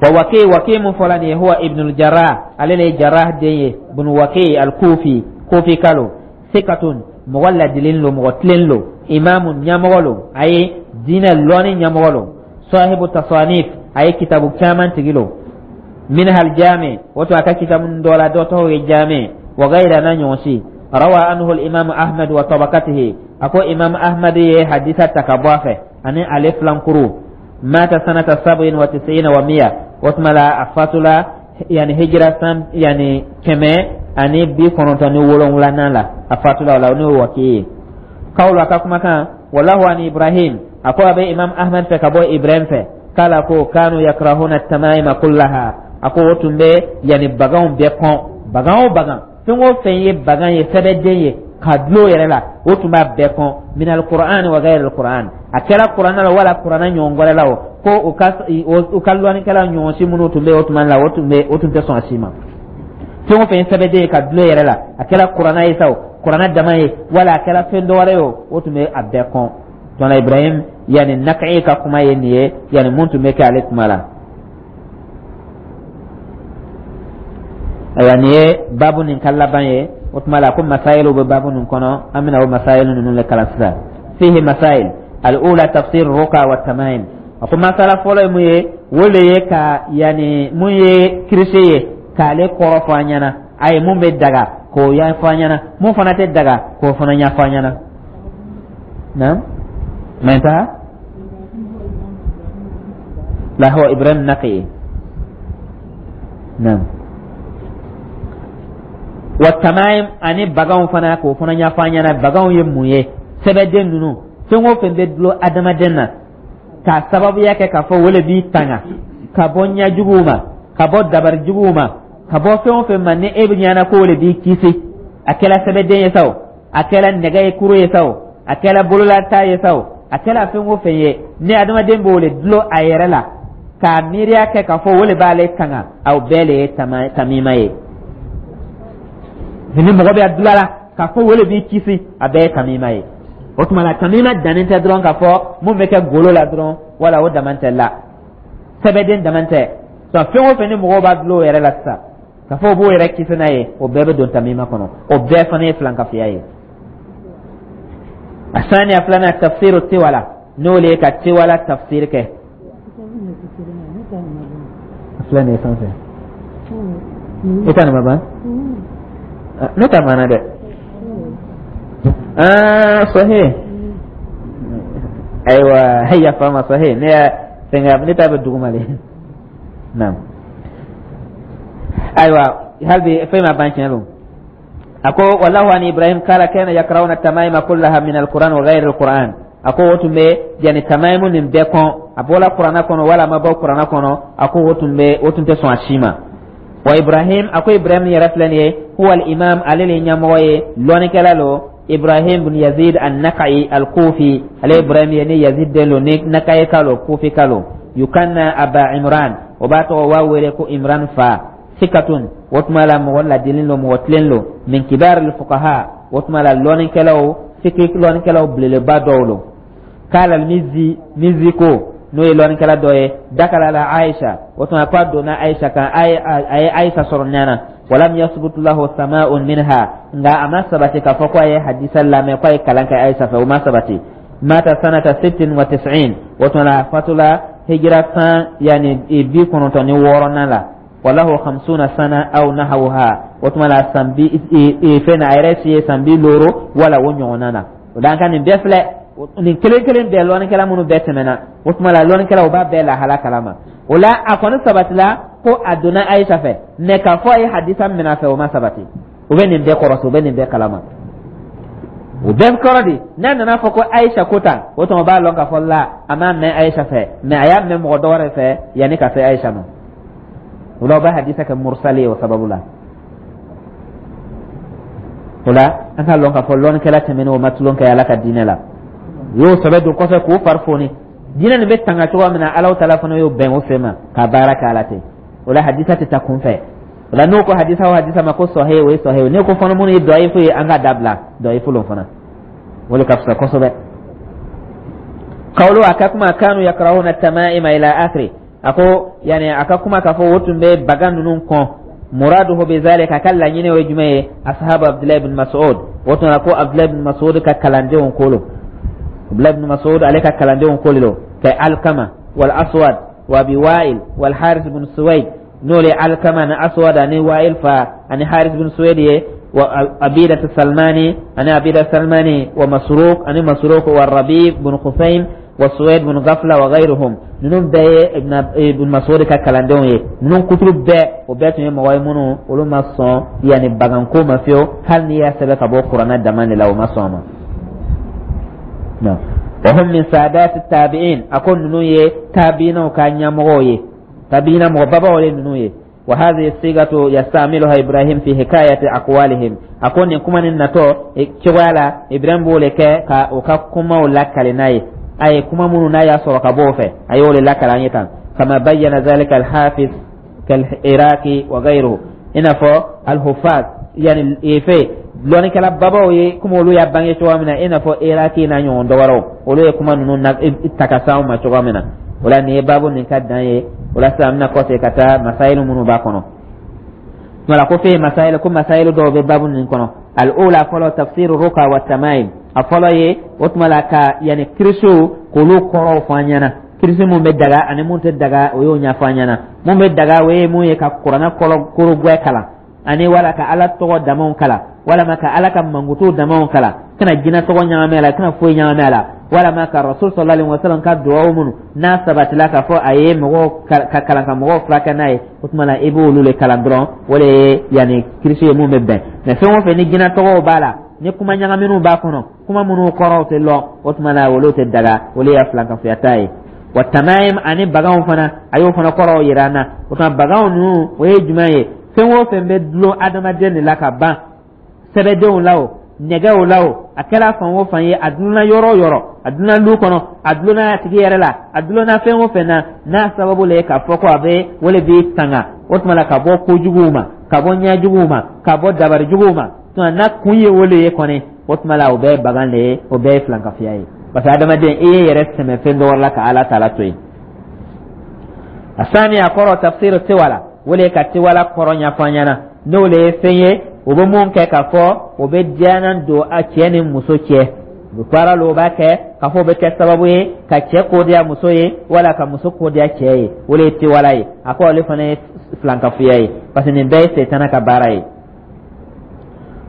Wa Waki, Waki mun fɔla nin ye, huwa Ibnul Jarrah, ale le ye Jarrah den ye, bunu Waki al-Kufi, Kufi kalo, sikatun, mɔgɔ ladilen lo, mɔgɔ tilen lo, imamu, ɲɛmɔgɔ lo, a ye diinɛ lɔnni ɲɛmɔgɔ lo, sahibu tasanif, a ye kitabu caman tigi lo, minha al-jami, o to a ka kitabu dɔ la dɔ tɔgɔ ye Jami, wa gayra na ɲɔgɔn si. Rawa anhu al-imam Ahmad wa tabaqatihi, a ko Imam Ahmad ye hadisa ta ka bɔ a fɛ ani ale filankuru. Mata sanata 197, o tuma la a fatula yani hijira san yani 197nan la a fatula o la, n'o ye Waki ye. Kawlu, a ka kumakan, walahu ani Ibrahim, a ko a bɛ Imam Ahmad fɛ ka bɔ Ibrahim fɛ, k'ala ko kanu yakrahuna tamaima kullaha, a ko o tun bɛ yani baganw bɛɛ kɔn, bagan o bagan, fɛn o fɛn ye bagan ye, sɛbɛden ye ka dulon yɛrɛ la, o tun b'a bɛɛ kɔn, min alquran wa gayr alquran, a kɛra kuranɛ la wala kuranɛ ɲɔgɔn wɛrɛ la, o ko u ka lɔnnikɛla ɲɔgɔn si minnu tun bɛ o tuma la, o tun tɛ sɔn a si ma. Fɛn o fɛn ye sɛbɛden ye ka dulon yɛrɛ la, a kɛra kuranɛ ye sa o, kuranɛ dama ye wala a kɛra fɛn dɔ wɛrɛ ye o, o tun bɛ a bɛɛ kɔn. Tɔnɔ Ibrahim yani Naka'i ka kuma ye nin ye, yani mun tun bɛ kɛ ale kuma la. Ayiwa, nin ye baabu nin ka laban ye. O tuma la ko masayilu bɛ baabu nin kɔnɔ, an bɛna o masayilu ninnu le kalan sisan. Fihi masail, al-ula tafsir ruqa wa tamaim. A ko masala fɔlɔ ye mun ye? O le ye ka yani mun ye kirisi ye k'ale kɔrɔ fɔ an ɲɛna, a ye mun bɛ daga k'o ɲɛfɔ an ɲɛna, mun fana tɛ daga k'o fana ɲɛfɔ an ɲɛna. Naam, ma intaha la huwa Ibrahim Naqi. Naam, wa tamaim, ani baganw fana k'o fana ɲɛfɔ an ɲɛna, baganw ye mun ye, sɛbɛden ninnu, fɛn o fɛn bɛ dulon adamaden na k'a sababuya kɛ k'a fɔ o le b'i tanga ka bɔ ɲɛjuguw ma, ka bɔ dabari juguw ma, ka bɔ fɛn o fɛn ma ni e bɛ ɲɛna k'o le b'i kisi, a kɛra sɛbɛden ye sa o, a kɛra nɛgɛ ye kuru ye sa o, a kɛra bololata ye sa o, a kɛra fɛn o fɛn ye ni adamaden b'o le dulon a yɛrɛ la k'a miiriya kɛ k'a fɔ o le b'ale tanga, aw bɛɛ le ye tamima ye. Ni mɔgɔ bɛ a dulon a la k'a fɔ o le b'i kisi, a bɛɛ ye tamima ye. O tuma la, tamima dannen tɛ dɔrɔn k'a fɔ mun bɛ kɛ golo la dɔrɔn, wala o dama tɛ la, sɛbɛden dama tɛ. Fɛn o fɛn ni mɔgɔw b'a dulon o yɛrɛ la sisan, k'a fɔ o b'o yɛrɛ kisi n'a ye, o bɛɛ bɛ don tamima kɔnɔ. O bɛɛ fana ye filankafoya ye. Asaniya, filanan, tafsiru tiwala, n'o le ye ka tiwala tafsir kɛ. Filɛ nin ye sanfɛ, i ta nin ma ban, ne ta banna dɛ. Ah, sahih. Ayiwa, yafa ma, sahih, ne y'a fɛngɛ, ne ta bɛ duguma le. Naam, ayiwa, hali bi fɛn ma ban, tiɲɛ don. A ko walahu an Ibrahim kala kana yakrauna tamaima kullaha min alquran wa ghayr alquran. A ko o tun bɛ yani tamaimu nin bɛɛ kɔn, a bɔla Kuranna kɔnɔ wala a ma bɔ Kuranna kɔnɔ, a ko o tun bɛ, o tun tɛ sɔn a si ma. Wa Ibrahim, a ko Ibrahim yɛrɛ filɛ nin ye, huwa al imam, ale le ɲɛmɔgɔ ye, lɔnnikɛla lo, Ibrahim bin Yazid an-Naka'i al-Kufi. Ale Ibrahim ye ni Yazid den lo, ni Naka'i ka lo, Kufi ka lo. Yukanna Aba Imran, o b'a tɔgɔ wa wele ko Imran fa. Sikatun, o tuma la mɔgɔ ladilin lo, mɔgɔ tilen lo. Min kibar al-fuqaha, o tuma la lɔnnikɛlaw, fiki lɔnnikɛlaw belebeleba dɔw lo. Kala Mizi, Mizi ko, n'o ye lɔnnikɛla dɔ ye, dakala ala Aisha, o tuma ko a donna Aisha kan, a ye Aisha sɔrɔ ɲana. Walam yasbut lahu sama'un minha, nka a ma sabati k'a fɔ ko a ye hadisa lamɛn, ko a ye kalan kɛ Aisha fɛ, o ma sabati. Mata sanata 96, o tuma la a fatula hijira san yani 96nan la. Walahu 50 sana aw nahawha, o tuma la san bi fɛn na, a yɛrɛ si ye san 50 wala o ɲɔgɔnna na. O la, an ka nin bɛɛ filɛ, nin kelen kelen bɛɛ, lɔnnikɛla minnu bɛɛ tɛmɛna, o tuma la lɔnnikɛlaw b'a bɛɛ lahala kalama. O la, a kɔni sabatila ko a donna Ayisa fɛ, mɛ k'a fɔ a ye hadisa minɛ a fɛ, o ma sabati. U bɛ nin bɛɛ kɔrɔsi, u bɛ nin bɛɛ kalama. O bɛɛ kɔrɔ di, n'a nana fɔ ko Ayisa ko tan, o tuma b'a lɔn k'a fɔ la, a m'a mɛn Ayisa fɛ, mɛ a y'a mɛn mɔgɔ dɔ wɛrɛ fɛ yanni ka se Ayisa ma. O la, o bɛ hadisa kɛ mursali ye o sababu la. O la, an k'a lɔn k'a fɔ lɔnnikɛla tɛmɛnen, o ma tulon kɛ Ala ka diinɛ la. U y'o sɛbɛ don kɔfɛ k'o fari foni. Diinɛ nin bɛ tanga cogoya min na, Ala taala fana y'o bɛn o sen ma ka baara kɛ ala ten. O la, hadisa tɛ taa kunfɛ. O la, n'o ko hadisa o hadisa ma ko sɔhe, o ye sɔhe. N'o ko fana minnu ye dɔyifu ye, an ka dabila dɔyifu lo fana, o de ka fisa kosɛbɛ. Kawlo, a ka kuma, kanu yakrahuna tamaima ila akhiri. A ko yani a ka kuma k'a fɔ o tun bɛ bagan ninnu kɔn, muraduhu bi zalika, a ka laɲini o ye jumɛn ye? Ashabu Abdullahi ibn Mas'ud. O tun ko Abdullahi ibn Mas'ud ka kalandenw ko lo, Abdullahi ibn Mas'ud ale ka kalandenw ko lo, ka Alkama wal Aswad wa Abi Wa'il wal Harith ibn Suwaid, n'o le Alkama ni Aswad ani Wa'il fa ani Harith ibn Suwaid ye, wa Abida Salmani ani Abida Salmani, wa Masruq ani Masruq, wa Rabi ibn Khusaym wa Suwaid bin Ghafla wa ghayruhum. Ninnu bɛɛ ye Ibn Mas'ud ka kalandenw ye. Ninnu kuturu bɛɛ, o bɛɛ tun ye mɔgɔ ye minnu olu ma sɔn yanni baganko ma fiyewu, hali n'i y'a sɛbɛn ka bɔ Kuranɛ dama de la, o ma sɔn a ma. Wa hum min saadati tabi'in, a ko ninnu ye tabiinaw ka ɲɛmɔgɔw ye, tabiina mɔgɔ babaw ye ninnu ye. Wa hadhihi sigatu yastamiluha Ibrahim fi hikayati aqwalihim, a ko nin kuma nin natɔ cogoya la, Ibrahim b'o le kɛ ka o ka kumaw lakale n'a ye. A ye kuma minnu n'a y'a sɔrɔ ka bɔ o fɛ, a y'o le lakale an ye tan. Kama bayyana zalika al-hafiz kal-Iraqi wa ghayruhu, i n'a fɔ al-hufaz, yani efe lɔnnikɛla babaw ye komi olu y'a bange cogoya min na, i n'a fɔ Iraki n'a ɲɔgɔn dɔ wɛrɛw, olu ye kuma ninnu na ta ka s'anw ma cogoya min na. O la, nin ye baabu nin ka dan ye. O la sisan, an bɛna kɔsegin ka taa masayilu minnu b'a kɔnɔ. Wala ko fe masayilu, ko masayilu dɔw bɛ baabu nin kɔnɔ. Al-ula, fɔlɔ, tafsiru ruka wa tamaim. A fɔlɔ ye, o tuma la, ka yanni kirisiw k'olu kɔrɔw fɔ an ɲɛna, kirisi mun bɛ daga ani mun tɛ daga, o y'o ɲɛfɔ an ɲɛna. Mun bɛ daga, o ye mun ye? Ka Kuranɛ kɔlɔ korogwɛ kalan, ani wala ka Ala tɔgɔ damaw kalan, walama ka Ala ka mankutu damaw kalan, kana jinɛ tɔgɔ ɲagami a la, kana foyi ɲagami a la, walama ka Rasul sallallahu alaihi wasallam ka duwawu minnu n'a sabatila k'a fɔ a ye mɔgɔw ka kalan ka mɔgɔw furakɛ n'a ye, o tuma la i b'olu le kalan dɔrɔn. O de ye yanni kirisi ye mun bɛ bɛn. Mɛ fɛn o fɛn ni jinɛ tɔgɔw b'a la, ni kuma ɲagaminw b'a kɔnɔ, kuma minnu kɔrɔw tɛ lɔn, o tuma la olu tɛ daga. Olu ye filankafoya ta ye. Wa tamaim, ani baganw fana, a y'o fana kɔrɔw yira an na. O tuma baganw ninnu, o ye jumɛn ye? Fɛn o fɛn bɛ dulon adamaden de la ka ban, sɛbɛdenw la o, nɛgɛw la o, a kɛra fan o fan ye, a dulonna yɔrɔ o yɔrɔ, a dulonna lu kɔnɔ, a dulonna a tigi yɛrɛ la, a dulonna fɛn o fɛn na, n'a sababu le ye k'a fɔ ko a bɛ o le b'i tanga, o tuma la ka bɔ kojuguw ma, ka bɔ ɲɛjuguw ma, ka bɔ dabarijuguw ma, tuma n'a kun ye o le ye kɔni. O tuma la, o bɛɛ ye bagan de ye, o bɛɛ ye filankafoya ye, parce que adamaden, i ye yɛrɛ sɛmɛ fɛn dɔ wɛrɛ la ka Ala ta la to yen. Asani, a kɔrɔ tafsir tiwala, o le ka tiwala kɔrɔ ɲɛfɔ an ɲɛna, n'o le ye fɛn ye o bɛ mun kɛ k'a fɔ o bɛ diyanan don a cɛ ni muso cɛ. U baara la, o b'a kɛ k'a fɔ o bɛ kɛ sababu ye ka cɛ ko diya muso ye wala ka muso ko diya cɛ ye, o le ye tiwala ye. A ko ale fana ye filankafoya ye, parce que nin bɛɛ ye setana ka baara ye.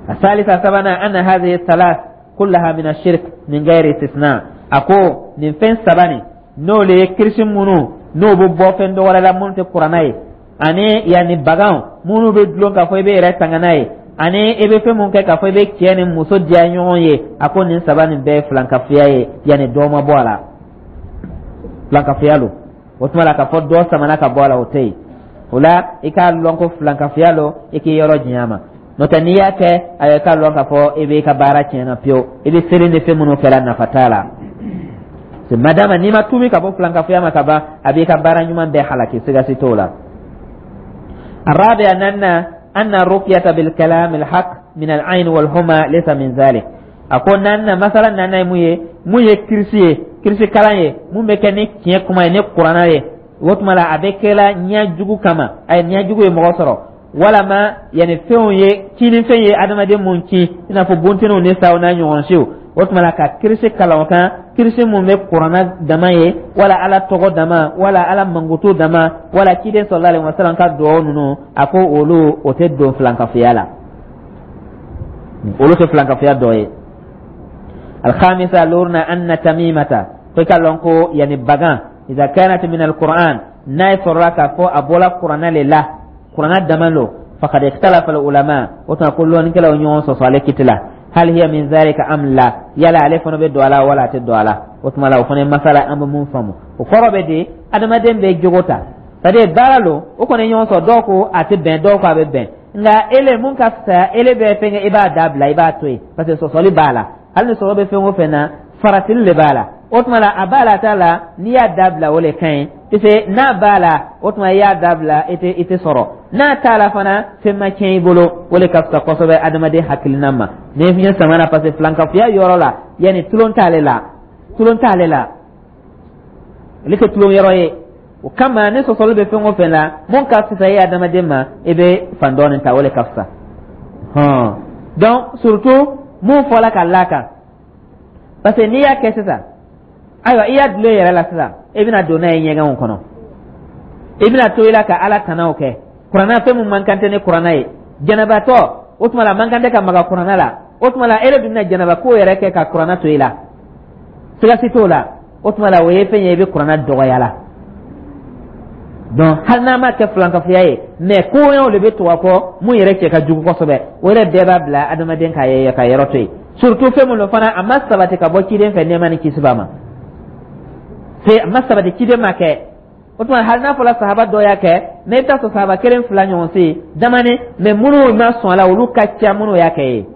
Asalisa, sabanan, anna hadhihi thalath kullaha min ashirk min ghairi istisna. A ko nin fɛn saba nin, n'o le ye kirisi minnu n'o bɛ bɔ fɛn dɔ wɛrɛ la minnu tɛ Kuranna ye, ani yanni bagan minnu bɛ dulon k'a fɔ i bɛ yɛrɛ tanga n'a ye, ani i bɛ fɛn mun kɛ k'a fɔ i bɛ cɛ ni muso diya ɲɔgɔn ye, a ko nin saba nin bɛɛ ye filankafoya ye, yanni dɔ ma bɔ a la, filankafoya lo. O tuma la, k'a fɔ dɔ samana ka bɔ a la, o tɛ yen. O la, i k'a lɔn ko filankafoya lo, i k'i yɔrɔ janya ma. N'o tɛ, n'i y'a kɛ, ayiwa, i k'a lɔn k'a fɔ i b'i ka baara tiɲɛna pewu. I bɛ seli ni fɛn minnu kɛra, nafa t'a la. Madama n'i ma tuubi ka bɔ filankafoya ma ka ban, a b'i ka baara ɲuman bɛɛ halaki, siga si t'o la. الرابع أن أن الرقية بالكلام الحق من العين والحمى ليس من ذلك. A ko naaninan, masala naaninan ye mun ye? Mun ye kirisi ye, kirisi kalan ye mun bɛ kɛ ni tiɲɛ kuma ye, ni Kuranna ye. O tuma la, a bɛ kɛla ɲɛ jugu kama, a ye ɲɛ jugu ye mɔgɔ sɔrɔ, walama yanni fɛnw ye kinifɛn ye adamaden mun kin, i n'a fɔ bunteniw ni saw n'a ɲɔgɔn siw. O tuma la, ka kirisi kalan o kan, kirisi mun bɛ Kuranna dama ye, wala Ala tɔgɔ dama, wala Ala mankutu dama, wala ciden sallallahu alaihi wasallam ka dugawu ninnu, a ko olu o tɛ don filankafoya la, olu tɛ filankafoya dɔ ye. Alhamisa, luruna, anna tamimata, ko i ka lɔn ko yani bagan, idha kanat min alquran, n'a ye sɔrɔla k'a fɔ a bɔla Kuranna le la, Kuranna dama lo, faqad ikhtalafa ulama. O tuma ko lɔnnikɛlaw ɲɔgɔn sɔsɔ ale kiti la, hal hiya min zalika am la, yala ale fana bɛ don a la wala a tɛ don a la? O tuma la, o fana ye masala an bɛ mun faamu. O kɔrɔ bɛ di? Adamaden bɛ jogo ta, c'est à dire baara lo, o kɔni ɲɔgɔn sɔrɔ, dɔw ko a tɛ bɛn, dɔw ko a bɛ bɛn. Nka ele mun ka fisaya, ele bɛ fɛn kɛ, i b'a dabila, i b'a to yen, parce que sɔsɔli b'a la. Hali ni sɔsɔ bɛ fɛn o fɛn na, faratili de b'a la. O tuma la, a b'a la, a t'a la, n'i y'a dabila, o le ka ɲi, parce n'a b'a la, o tuma i y'a dabila, i tɛ sɔrɔ. N'a t'a la fana, fɛn ma tiɲɛ i bolo. O le ka fisa kosɛbɛ adamaden hakilina ma ni fiɲɛ samana, parce que filankafoya yɔrɔ la, yanni tulon t'ale la, tulon t'ale la, ale tɛ tulon yɔrɔ ye. O kama, ni sɔsɔli bɛ fɛn o fɛn la, mun ka fisa i adamaden ma, i bɛ fan dɔɔnin ta, o le ka fisa hɔn. Donc surtout mun fɔla ka la kan, parce que n'i y'a kɛ sisan, ayiwa, i y'a dulon i yɛrɛ la sisan, i bɛna don n'a ye ɲɛgɛnw kɔnɔ, i bɛna to i la ka Ala tanaw kɛ. Kuranna, fɛn mun man kan tɛ ni Kuranna ye, jɛnɛbatɔ, o tuma la, man kan tɛ ka maga Kuranna la. O tuma la, e de dun bɛna jɛnɛba ko yɛrɛ kɛ ka Kuranna to i la, siga si t'o la. O tuma la, o ye fɛn ye i bɛ Kuranna dɔgɔya la. Donc hali n'a ma kɛ filankafoya ye, mais koɲɛw de bɛ tugu a kɔ mun yɛrɛ cɛ ka jugu kosɛbɛ. O yɛrɛ bɛɛ b'a bila adamaden ka ye ka yɔrɔ to yen, surtout fɛn mun fana a ma sabati ka bɔ ciden fɛ, nɛɛma ni kisi b'a ma, fe a ma sabati ciden ma kɛ. O tuma, hali n'a fɔra sahaba dɔ y'a kɛ, mais i bɛ taa sɔrɔ sahaba kelen fila ɲɔgɔn se damani, mais minnu ma sɔn a la, olu ka ca minnu y'a kɛ ye.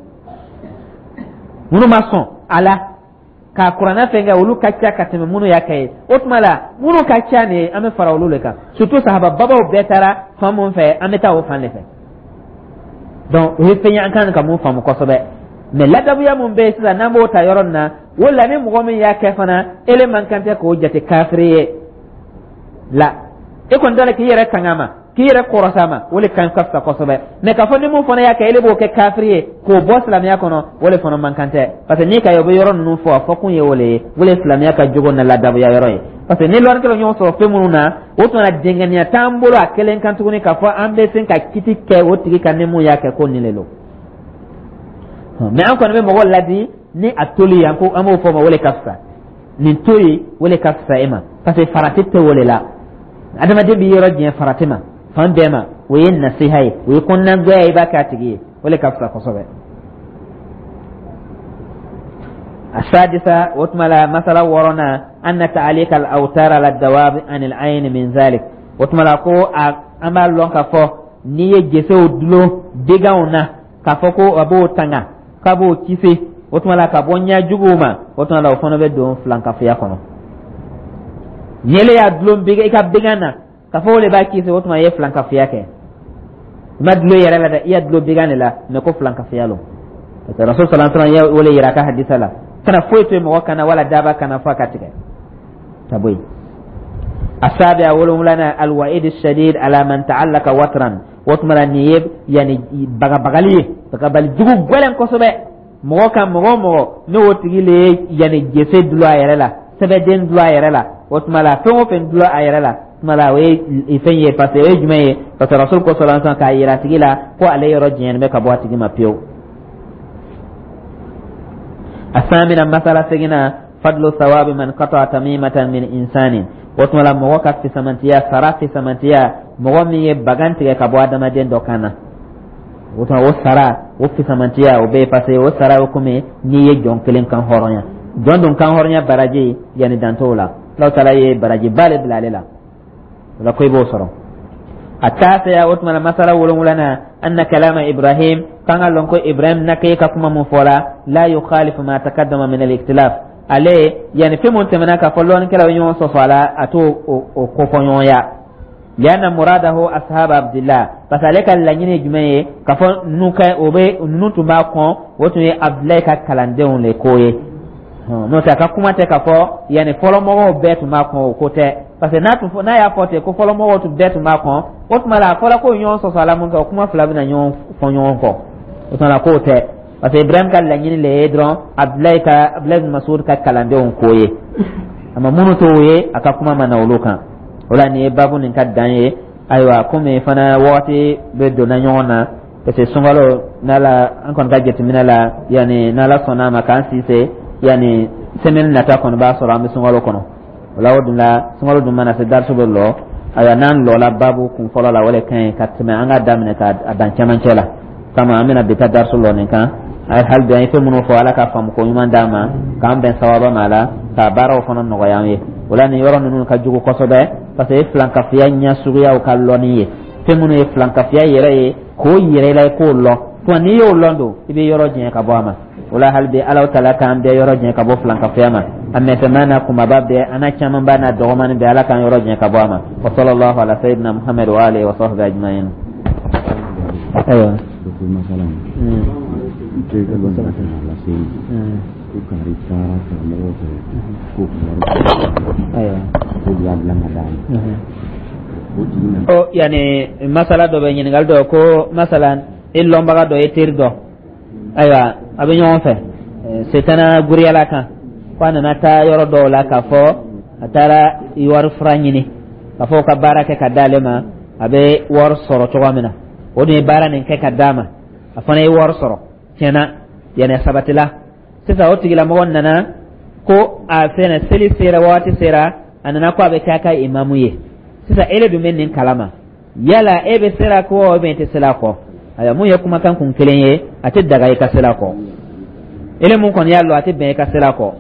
Minnu ma sɔn a la k'a Kuranɛ fɛn kɛ, olu ka ca ka tɛmɛ minnu y'a kɛ ye. O tuma la, minnu ka ca nin ye, an bɛ fara olu de kan, surtout sahaba babaw bɛɛ taara fan mun fɛ, an bɛ taa o fan de fɛ. Donc o ye fɛn ye an kan ka mun faamu kosɛbɛ. Mais ladabuya mun bɛ yen sisan, n'an b'o ta yɔrɔ nin na, o la, ni mɔgɔ min y'a kɛ fana, ele man kan tɛ k'o jate kafiri ye la. E kɔni t'a la k'i yɛrɛ tanga ma, k'i yɛrɛ kɔrɔsa ma, o de ka fisa kosɛbɛ. Mais k'a fɔ ni mun fana y'a kɛ, ele b'o kɛ kafiri ye k'o bɔ silamɛya kɔnɔ, o de fana man kan tɛ, parce que n'i ka ye o bɛ yɔrɔ ninnu fɔ, a fɔ kun ye o de ye, o de ye silamɛya ka jogo na ladabuya yɔrɔ ye. Parce que ni lɔnnikɛlaw ɲɔgɔn sɔrɔ fɛn minnu na, o tuma na dɛngɛniya t'an bolo a kelen kan tuguni k'a fɔ an bɛ se ka kiti kɛ o tigi kan ni mun y'a kɛ ko nin de don. Mais an kɔni bɛ mɔgɔ ladi ni a toli ye, an ko an b'o fɔ ma, o de ka fisa nin to yen, o de ka fisa e ma, parce que farati tɛ o de la. Adamaden b'i yɔrɔ diɲɛ farati ma fan bɛɛ ma, o ye nasiha ye, o ye kɔnɔnagoya ye, i b'a kɛ a tigi ye, o de ka fisa kosɛbɛ. السادسة، وتملا مسألة ورنا، أن تعليق الأوتار على الدواب عن العين من ذلك. وتملا كو أما لون كفو ني جسو دلو ديغاونا k'a ko a b'o tanga, k'a b'o kisi, o tuma la, ka bɔ ɲɛ juguw ma, o tuma la, o fana bɛ don filankafoya kɔnɔ. Ni ele y'a dulon i ka began na k'a fɔ o de b'a kisi, o tuma i ye filankafoya kɛ. I ma dulon i yɛrɛ la dɛ, i y'a dulon began de la, mais ko filankafoya lo. Parce que Rasul sallallahu alaihi wasallam ye o le yira a ka hadisa la, kana foyi to yen mɔgɔ kan na wala daba kan na fo a ka tigɛ ka bɔ yen. السابع wolonwulana, الوعيد الشديد على من تعلق وترا. O tuma la, nin ye yani bagabagali ye, bagabagali jugu gɛlɛn kosɛbɛ mɔgɔ kan, mɔgɔ o mɔgɔ n'o tigi le ye yani jese dulon a yɛrɛ la, sɛbɛden dulon a yɛrɛ la. O tuma la, fɛn o fɛn dulon a yɛrɛ la, tuma la, o ye fɛn ye, parce que o ye jumɛn ye? Parce que Rasul ko sallallahu alaihi wasallam k'a yira a tigi la ko ale yɔrɔ janyalen bɛ ka bɔ a tigi ma pewu. الثامنة, masala seginna, فضل ثواب من قطع تميمة من إنسان. O tuma la, mɔgɔ ka fisamantiya, sara fisamantiya, mɔgɔ min ye bagan tigɛ ka bɔ adamaden dɔ kan na, o tuma o sara, o fisamantiya o bɛ yen, parce que o sara o komi n'i ye jɔn kelen kan hɔrɔnya. Jɔn dun kan hɔrɔnya baraji, yanni dan t'o la, Alahu taala ye barajiba le bila ale la, o la ko i b'o sɔrɔ. التاسعة, o tuma la, masala wolonwulana, أن كلام إبراهيم, kan ka lɔn ko Ibrahim Nakayi ka kuma mun fɔla, لا يخالف ما تقدم من الاختلاف. Ale yani fɛn mun tɛmɛna k'a fɔ lɔnnikɛlaw ye ɲɔgɔn sɔsɔ a la, a t'o o kofɔ ɲɔgɔnya. لأن مراده أصحاب عبد الله, parce que ale ka laɲini ye jumɛn ye? K'a fɔ ninnu ka o bɛ ninnu tun b'a kɔn, o tun ye Abudulayi ka kalandenw le ko ye. N'o tɛ, a ka kuma tɛ k'a fɔ yanni fɔlɔmɔgɔw bɛɛ tun b'a kɔn, o ko tɛ, parce que n'a tun n'a y'a fɔ ten ko fɔlɔmɔgɔw tun bɛɛ tun b'a kɔn, o tuma la, a fɔra ko ɲɔgɔn sɔsɔ a la mun kɛ, o kuma fila bɛna ɲɔgɔn fɔ ɲɔgɔn kɔ. O tuma la, k'o tɛ, parce que Ibrahim ka laɲini le ye dɔrɔn Abudulayi ka, Abudulayi bin Masud ka kalandenw ko ye. Ama minnu t'o ye, a ka kuma ma na olu kan. O la, nin ye baabu nin ka dan ye. Ayiwa, komi fana wagati bɛ donna ɲɔgɔn na, parce que sunkalo n'ala an kɔni ka jateminɛ la, yanni n'Ala sɔnna a ma k'an si se, yanni semaine nata kɔni b'a sɔrɔ an bɛ sunkalo kɔnɔ. O la, o dun la, sunkalo dun mana se, darisu bɛ lɔ. Ayiwa, n'an lɔla baabu kun fɔlɔ la, o de ka ɲi ka tɛmɛ an ka daminɛ ka dan cɛmancɛ la. Kama an bɛna bi ta darisu lɔ nin kan. Hali bi, an ye fɛn minnu fɔ, Ala ka faamu ko ɲuman d'an ma, k'an bɛn sawaba ma la, ka baaraw fana nɔgɔya an ye. O la, nin yɔrɔ ninnu ka jugu kosɛbɛ, parce que filankafiya ɲɛ suguyaw ka lɔnni ye, fɛn minnu ye filankafiya yɛrɛ ye, k'o yɛrɛ la, i k'o lɔn. Tuma n'i y'o lɔn don, i bɛ yɔrɔ janya ka bɔ a ma. O la, hali bi, Ala taala k'an bɛɛ yɔrɔ janya ka bɔ filankafiya ma, a mɛsɛmɛ n'a kunbaba bɛɛ, an n'a camanba n'a dɔgɔmani bɛɛ, Ala k'an yɔrɔ janya ka bɔ a ma. وصلى الله على سيدنا محمد وآله وصحبه أجمعين. Ayiwa. Terikɛ dɔ nana ka na lase n ma ko kari taara karamɔgɔw fɛ k'o ka wari ko y'a bila ka d'a ma, o tigi nana. O yani masala dɔ bɛ, ɲininkali dɔ ko masalan i lɔnbaga dɔ ye teri dɔ, ayiwa, a bɛ ɲɔgɔn fɛ setana guriyala kan, ko a nana taa yɔrɔ dɔw la k'a fɔ a taara wari fura ɲini, k'a fɔ ka baara kɛ ka d'ale ma, a bɛ wari sɔrɔ cogoya min na. O dun ye baara nin kɛ ka d'a ma, a fana ye wari sɔrɔ tiɲɛna, yanni a sabatila. Sisan o tigilamɔgɔ nana ko a fɛnɛ seli sera, waati sera, a nana ko a bɛ kɛ a ka imamu ye. Sisan ele dun bɛ nin kalama, yala e bɛ sera kɔ ou bien e tɛ sela kɔ? Ayiwa, mun ye kumakan kun kelen ye, a tɛ daga i ka sela kɔ. Ele mun kɔni y'a lɔn, a tɛ bɛn i ka sela kɔ.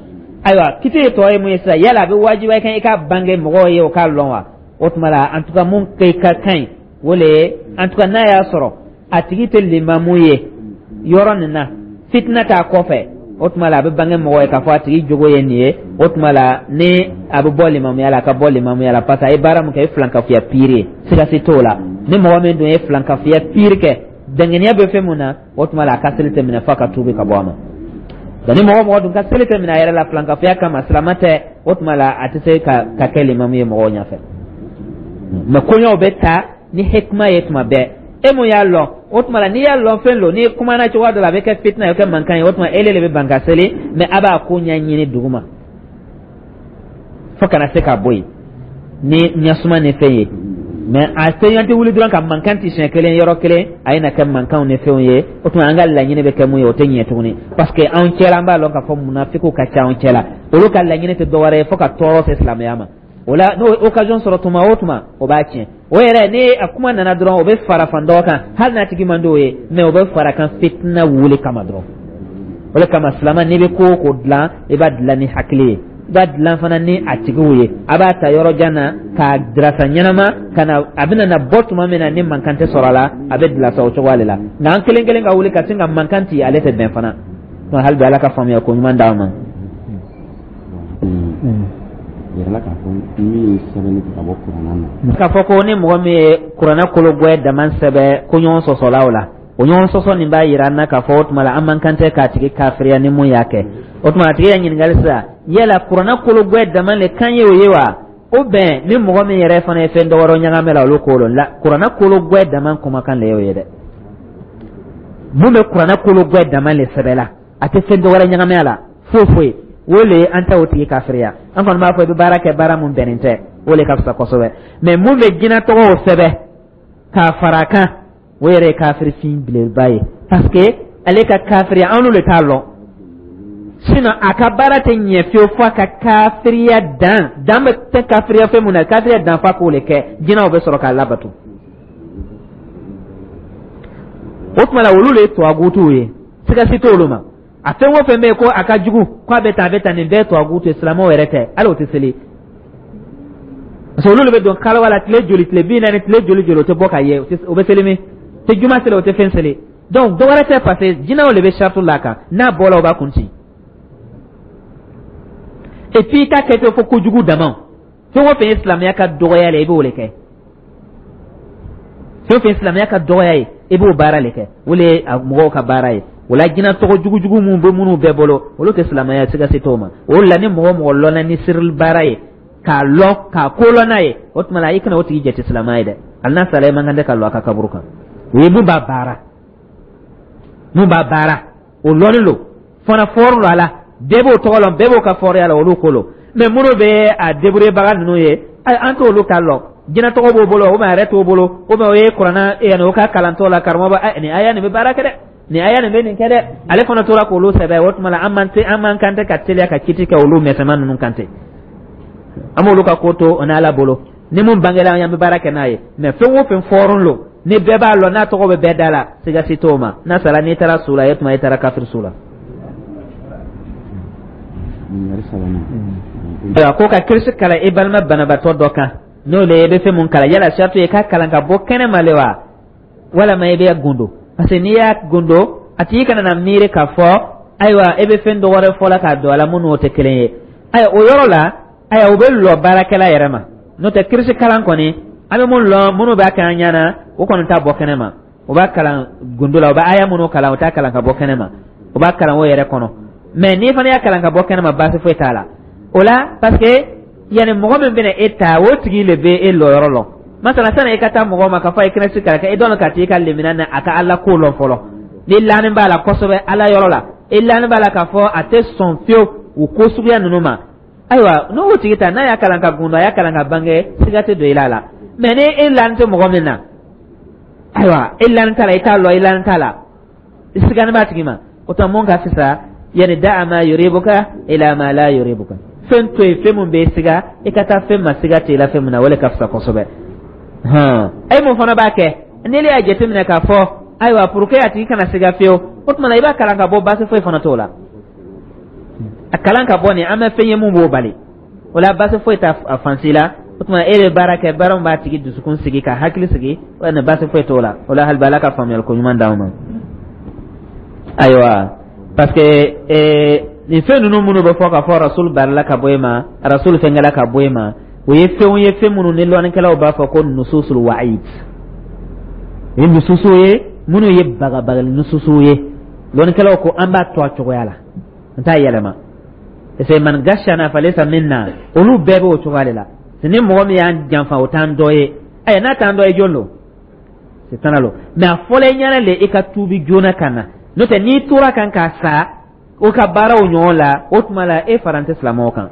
Ayiwa, kiti ye tɔ ye mun ye sisan? Yala a bɛ wajibiya kan i ka bange mɔgɔw ye o k'a lɔn wa? O tuma la, en tout cas, mun kɛ ka kan ɲi, o le ye, en tout cas, n'a y'a sɔrɔ a tigi tɛ limamu ye yɔrɔ nin na, fitina t'a kɔfɛ, o tuma la, a bɛ bange mɔgɔ ye k'a fɔ a tigi jogo ye nin ye. O tuma la, ni a bɛ bɔ limamuya la, a ka bɔ limamuya la, parce que a ye baara min kɛ, o ye filankafoya pire ye, siga si t'o la. Ni mɔgɔ min dun ye filankafoya pire kɛ, danganiya bɛ fɛn mun na, o tuma la, a ka seli tɛ minɛ f'a ka tuubi ka bɔ a ma. Nka ni mɔgɔ mɔgɔ dun ka seli tɛ minɛ a yɛrɛ la filankafoya kama, silama tɛ, o tuma la, a tɛ se ka kɛ limamu ye mɔgɔw ɲɛfɛ. Mɛ koɲɛw bɛ ta ni hikima ye tuma bɛɛ. E mun y'a lɔn, o tuma la, n'i y'a lɔn fɛn lo, n'i kumana cogoya dɔ la, a bɛ kɛ fitina ye, o kɛ mankan ye, o tuma ele de bɛ ban ka seli. Mɛ a b'a ko ɲɛɲini dugu ma fo kana se ka bɔ yen ni ɲɛsuma ni fɛn ye. Mɛ a tɛ tɛ wuli dɔrɔn ka mankan ti siɲɛ kelen yɔrɔ kelen, a ye na kɛ mankanw ni fɛnw ye. O tuma, an ka laɲini bɛ kɛ mun ye, o tɛ ɲɛ tuguni, parce que anw cɛla, an b'a lɔn k'a fɔ munafikiw ka ca anw cɛla. Olu ka laɲini tɛ dɔwɛrɛ ye fo ka tɔɔrɔ se silamɛya ma. O la, n'o occasion sɔrɔ tuma o tuma, o b'a tiɲɛ. O yɛrɛ, ni a kuma nana dɔrɔn, o bɛ fara fan dɔ kan, hali n'a tigi man d'o ye, mɛ o bɛ fara kan fitina wuli kama dɔrɔn. O de kama, silama, n'i bɛ ko o ko dilan, i b'a dilan ni hakili ye, i b'a dilan fana ni a tigiw ye. A b'a ta yɔrɔ jan na k'a dirasa ɲɛnama ka na, a bɛna na bɔ tuma min na ni mankan tɛ sɔrɔ a la, a bɛ dilasa o cogoya de la. Nka an kelen kelen ka wuli ka sin ka mankan ci, ale tɛ bɛn fana. Hali bi, Ala ka faamuya ko ɲuman d'an ma. Yɛrɛla k'a fɔ min ye sɛbɛnni kɛ ka bɔ kuranna na. K'a fɔ ko ni mɔgɔ min ye kuranɛ kolo gwɛ dama sɛbɛ ko ɲɔgɔn sɔsɔla o la. O ɲɔgɔn sɔsɔ nin b'a yira an na k'a fɔ o tuma la an man kan tɛ k'a tigi kafiriya ni mun y'a kɛ. O tuma a tigi ya ɲininkali sisan, yala kuranna kologwɛ dama le kan ye o ye wa, ou bien ni mɔgɔ min yɛrɛ fana ye fɛn dɔ wɛrɛ ɲagamɛ la, olu k'o lɔn la? Kuranna kologwɛ dama kumakan le y'o ye dɛ. Mun bɛ kuranna kologwɛ dama le sɛbɛ la, a tɛ fɛn dɔ wɛrɛ ɲagamɛ a la foyi foyi, o le an tɛ o tigi kafiriya. An kɔni b'a fɔ i bɛ baara kɛ baara mun bɛnnen tɛ, o le ka fisa kosɛbɛ. Mais mun bɛ jinɛ tɔgɔw sɛbɛ k'a fara a kan, o yɛrɛ ye kafiri fin belebeleba ye, parce que ale ka kafiriya, an n'olu t'a lɔn. Sinon a ka baara tɛ ɲɛ fiyewu fo a ka kafiriya dan dan bɛ tɛ kafiriya fɛn mun na, kafiriya dan f'a k'o le kɛ, jinɛw bɛ sɔrɔ k'a labato. O tuma la, olu le ye tɔwagutuw ye, siga si t'olu ma. A fɛn o fɛn bɛ yen ko a ka jugu, ko a bɛ tan, a bɛ tan, nin bɛɛ ye tɔwagutu ye. Silamɛw yɛrɛ tɛ, hali o tɛ seli, parce que olu de bɛ don kalawa la tile joli, tile 40, tile joli joli, o tɛ bɔ ka ye. O bɛ seli min tɛ juma seli, o tɛ fɛn seli. Donc dɔ wɛrɛ tɛ, parce que jinɛw de bɛ saratu la a kan. N'a bɔra, o b'a kun ci. Et puis i t'a kɛ ten fo kojugu dama. Fɛn o fɛn ye silamɛya ka dɔgɔya la, i b'o de kɛ. Fɛn o fɛn ye silamɛya ka dɔgɔya ye, i b'o baara de kɛ. O de ye mɔgɔw ka baara ye. O la, jinɛ tɔgɔ jugujugu minnu bɛ minnu bɛɛ bolo, olu tɛ silamɛya, siga se t'o ma. O la, ni mɔgɔ mɔgɔ lɔnna ni sirili baara ye, k'a lɔn k'a ko lɔn n'a ye, o tuma la i kana o tigi jate silamɛ ye dɛ. Hali n'a sara, i man kan tɛ ka lɔ a ka kaburu kan. O ye mun b'a baara, mun b'a baara, o lɔnnen don fana, fɔri don a la, bɛɛ b'o tɔgɔ lɔn, bɛɛ b'o ka fɔriya la, olu ko lo. Mais minnu bɛ a débrouiller ninnu ye, an t'olu ta lɔn. Jinɛ tɔgɔ b'o bolo, ou bien a yɛrɛ t'o bolo, ou bien o ye kuranna yanni o ka kalantɔ la, karamɔgɔ ba nin aya nin bɛ baara kɛ dɛ, nin aya nin bɛ nin kɛ dɛ, ale fana tora k'olu sɛbɛn. O tuma la, an man kan tɛ ka teliya ka kiti kɛ olu mɛsɛman ninnu kan ten. An b'olu ka ko to o n'Ala bolo. Ni mun bangela an bɛ baara kɛ n'a ye. Mais fɛn o fɛn fɔrɔn lo, ni bɛɛ b'a lɔn, n'a tɔgɔ bɛ bɛɛ da la, siga si t'o ma. N'a sara, n'i taara su la, e tuma i taara kafiri su la. Ayiwa, ko ka kirisi kalan i balima banabaatɔ dɔ kan, n'o le ye, i bɛ fɛn mun kalan, yala saratu ye k'a kalan ka bɔ kɛnɛ ma le wa, walama i bɛ gundo? Parce que n'i y'a gundo, a tigi kana na miiri k'a fɔ ayiwa, e bɛ fɛn dɔ wɛrɛ fɔ la k'a don a la minnu o tɛ kelen ye. Ayiwa, o yɔrɔ la, ayiwa, o bɛ lɔ baarakɛla yɛrɛ ma. N'o tɛ, kirisi kalan kɔni, an bɛ mun lɔn, minnu b'a kɛ an ɲɛna, o kɔni t'a bɔ kɛnɛ ma. O b'a kalan gundo la. O bɛ aya minnu kalan, o t'a kalan ka bɔ kɛnɛ ma, o b'a kalan o yɛrɛ kɔnɔ. Mais n'i fana y'a kalan ka bɔ kɛnɛ ma, baasi foyi t'a la o la, parce que yanni mɔgɔ min bɛna e ta, o tigi le bɛ e lɔyɔrɔ lɔn. Masala, sani i ka taa mɔgɔ ma k'a fɔ a ye kirisi kalan kɛ, e dɔn ka t'i ka lemina na a ka Ala ko lɔn fɔlɔ. Ni laani b'a la kosɛbɛ Ala yɔrɔ la, i laani b'a la k'a fɔ a tɛ sɔn fiyewu o ko suguya ninnu ma, ayiwa, n'o tigi ta, n'a y'a kalan ka gundo, a y'a kalan ka bange, siga tɛ don i la. Mais ni e laani tɛ mɔgɔ min na, ayiwa, e laani t'a la, i t'a lɔn, i laani t'a la, i sigani b'a tigi ma, o tuma mun ka fisa? Yani da'a ma yuribuka ila ma la yuribuka. Fɛn to yen, fɛn mun bɛ siga, i ka taa fɛn ma siga t'i la fɛn min na, o le ka fisa kosɛbɛ. Hɔn, e mun fana b'a kɛ, n'e y'a jateminɛ k'a fɔ ayiwa, pour que a tigi kana siga fiyewu, o tuma na i b'a kalan ka bɔ, baasi foyi fana t'o la. A kalan ka bɔ nin, an bɛ fɛn ye mun b'o bali o la, baasi foyi t'a fan si la. O tuma e bɛ baara kɛ baara min b'a tigi dusukun sigi ka hakili sigi, o ni baasi foyi t'o la. O la, hali bi, Ala ka faamuyali ko ɲuman d'anw ma. Ayiwa, parce que nin fɛn ninnu minnu bɛ fɔ k'a fɔ rasul barila ka bɔ e ma, rasul fɛnkɛla ka bɔ e ma, o ye fɛnw ye, fɛn minnu ni lɔnnikɛlaw b'a fɔ ko nususul wa'id. O ye nususu ye minnu ye bagabagali nususu ye. Lɔnnikɛlaw ko an b'a to a cogoya la, n t'a yɛlɛma, parce que man gashana falaysa minna, olu bɛɛ b'o cogoya de la. Ni mɔgɔ min y'an janfa, o t'an dɔ ye. Ayiwa, n'a t'an dɔ ye, jɔn don? Sitana lo. Mais a fɔla i ɲɛna le i ka tuubi joona ka na. N'o tɛ, n'i tora kan ka sa o ka baaraw ɲɔgɔn la, o tuma la e fara tɛ silamɛw kan.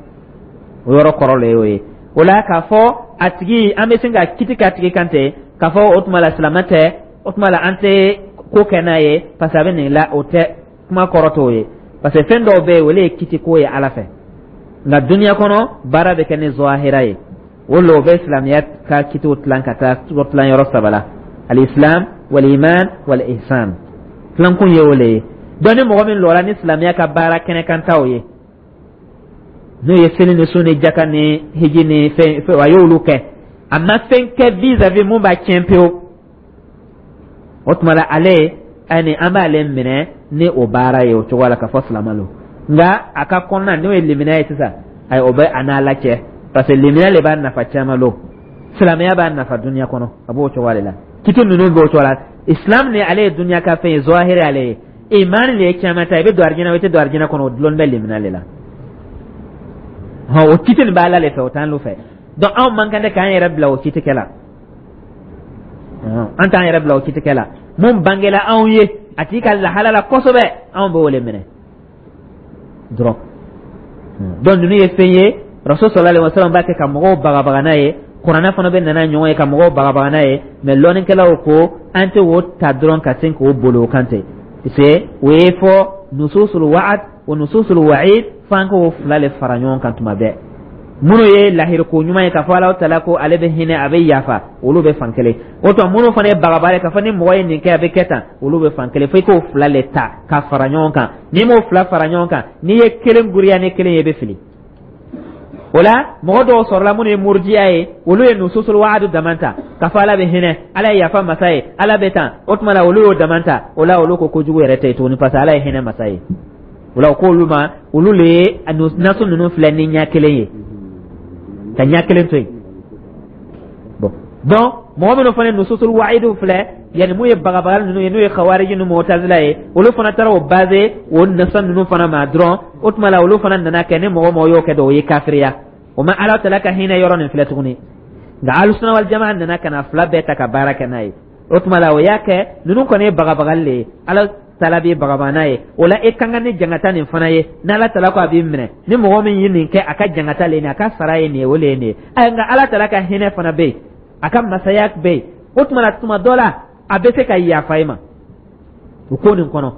O yɔrɔ kɔrɔ le y'o ye. O la, k'a fɔ a tigi, an bɛ sin ka kiti k'a tigi kan ten k'a fɔ o tuma la silamɛ tɛ, o tuma la an tɛ ko kɛ n'a ye parce que a bɛ nin la, o tɛ kuma kɔrɔ t'o ye, parce que fɛn dɔw bɛ yen, olu ye kiti ko ye Ala fɛ. Nka duniya kɔnɔ, baara bɛ kɛ ni zɔhira ye. O la, o bɛ silamɛya ka kitiw tilan ka taa tilan yɔrɔ saba la: alislam waliman walihsan. Tilankun ye o le ye. Donc ni mɔgɔ min lɔra ni silamɛya ka baara kɛnɛkantaw ye, n'o ye seli ni sun ni jaka ni hiji ni fɛn, a y'olu kɛ, a ma fɛn kɛ vis-à-vis mun b'a tiɲɛ pewu, o tuma la ale ani an b'ale minɛ ni o baara ye o cogo la k'a fɔ silamɛ lo. Nka a ka kɔnɔna, n'o ye limaniya ye sisan, ayi, o bɛ a n'Ala cɛ, parce que limaniya le b'a nafa caman lo, silamɛya b'a nafa duniya kɔnɔ. A b'o cogo de la, kiti ninnu b'o cogo la. Islam ni ale ye duniya ka fɛn ye, zahiri ale ye. Imani le ye caman ta, i bɛ don arijinɛ, i tɛ don arijinɛ kɔnɔ, o dulon bɛ limina le la. Hɔn, o kiti nin bɛ Ala le fɛ, o t'an lu fɛ. Donc anw man kan tɛ k'an yɛrɛ bila o kiti kɛ la, an t'an yɛrɛ bila o kiti kɛ la. Mun bangela anw ye a tigi ka lahala la kosɛbɛ, anw b'o le minɛ dɔrɔn. Donc ninnu ye fɛn ye, Rasul sallallahu alaihi wasallam b'a kɛ ka mɔgɔw bagabaga n'a ye, Kuranɛ fana bɛ nana ɲɔgɔn ye ka mɔgɔw bagabaga n'a ye. Mais lɔnnikɛlaw ko an tɛ o ta dɔrɔn ka sin k'o boli o kan ten, parce que o ye fɔ nususul wa'ad wa nususul wa'id, f'an k'o fila le fara ɲɔgɔn kan tuma bɛɛ. Minnu ye lahiriko ɲuman ye k'a fɔ Alahu taala ko ale bɛ hinɛ, a bɛ yafa, olu bɛ fan kelen. O tuma minnu fana ye bagabaga ye k'a fɔ ni mɔgɔ ye nin kɛ, a bɛ kɛ tan, olu bɛ fan kelen. Fo i k'o fila le ta ka fara ɲɔgɔn kan. N'i m'o fila fara ɲɔgɔn kan, n'i ye kelen guriya ni kelen ye, i bɛ fili. O la mɔgɔ dɔw sɔrɔla minnu ye murujiya ye, olu ye nususul waadu dama ta k'a fɔ Ala bɛ hinɛ, Ala ye yafa masa ye, Ala bɛ tan. O tuma la olu y'o dama ta. O la olu ko kojugu yɛrɛ tɛ yen tuguni, parce que Ala ye hinɛ masa ye. O la o k'olu ma, olu le ye nasu ninnu filɛ ni ɲɛ kelen ye, ka ɲɛ kelen to yen. Bon, donc mɔgɔ minnu fana ye nususul wa'idu filɛ, yani mun ye bagabagali ninnu ye, n'o ye khawariji ni mutazila ye, olu fana taara o basé o nasa ninnu fana ma dɔrɔn. O tuma la olu fana nana kɛ ni mɔgɔ mɔgɔ y'o kɛ dɔn, o ye kafiriya. O ma Ala taala ka hinɛ yɔrɔ nin filɛ tuguni. Nka Alusuna wal jamaa nana ka na fila bɛɛ ta ka baara kɛ n'a ye. O tuma la o y'a kɛ ninnu kɔni ye bagabagali le ye, Ala taala b'i bagabaga n'a ye. O la e kan ka ni jangata nin fana ye, n'Ala taala ko a b'i minɛ, ni mɔgɔ min ye nin kɛ, a ka jangata le nin, a ka sara ye nin ye, o le ye nin ye. Nka Ala taala ka hinɛ fana bɛ yen, a ka masaya bɛ yen. O tuma la tuma dɔ la a bɛ se ka yafa i ma o ko nin kɔnɔ.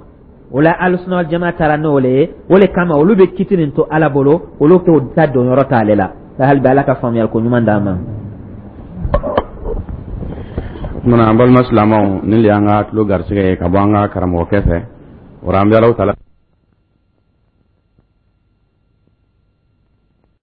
O la Alusuna wal jamaa taara n'o le ye. O le kama olu bɛ kiti nin to Ala bolo, olu t'o ta donyɔrɔ t'ale la. Hali bi Ala ka faamuyali ko ɲuman d'an ma. O kumana, an balima silamɛw, nin le y'an ka tulo garisɛgɛ ye ka bɔ an ka karamɔgɔkɛ fɛ. O la an bɛ Alahu taala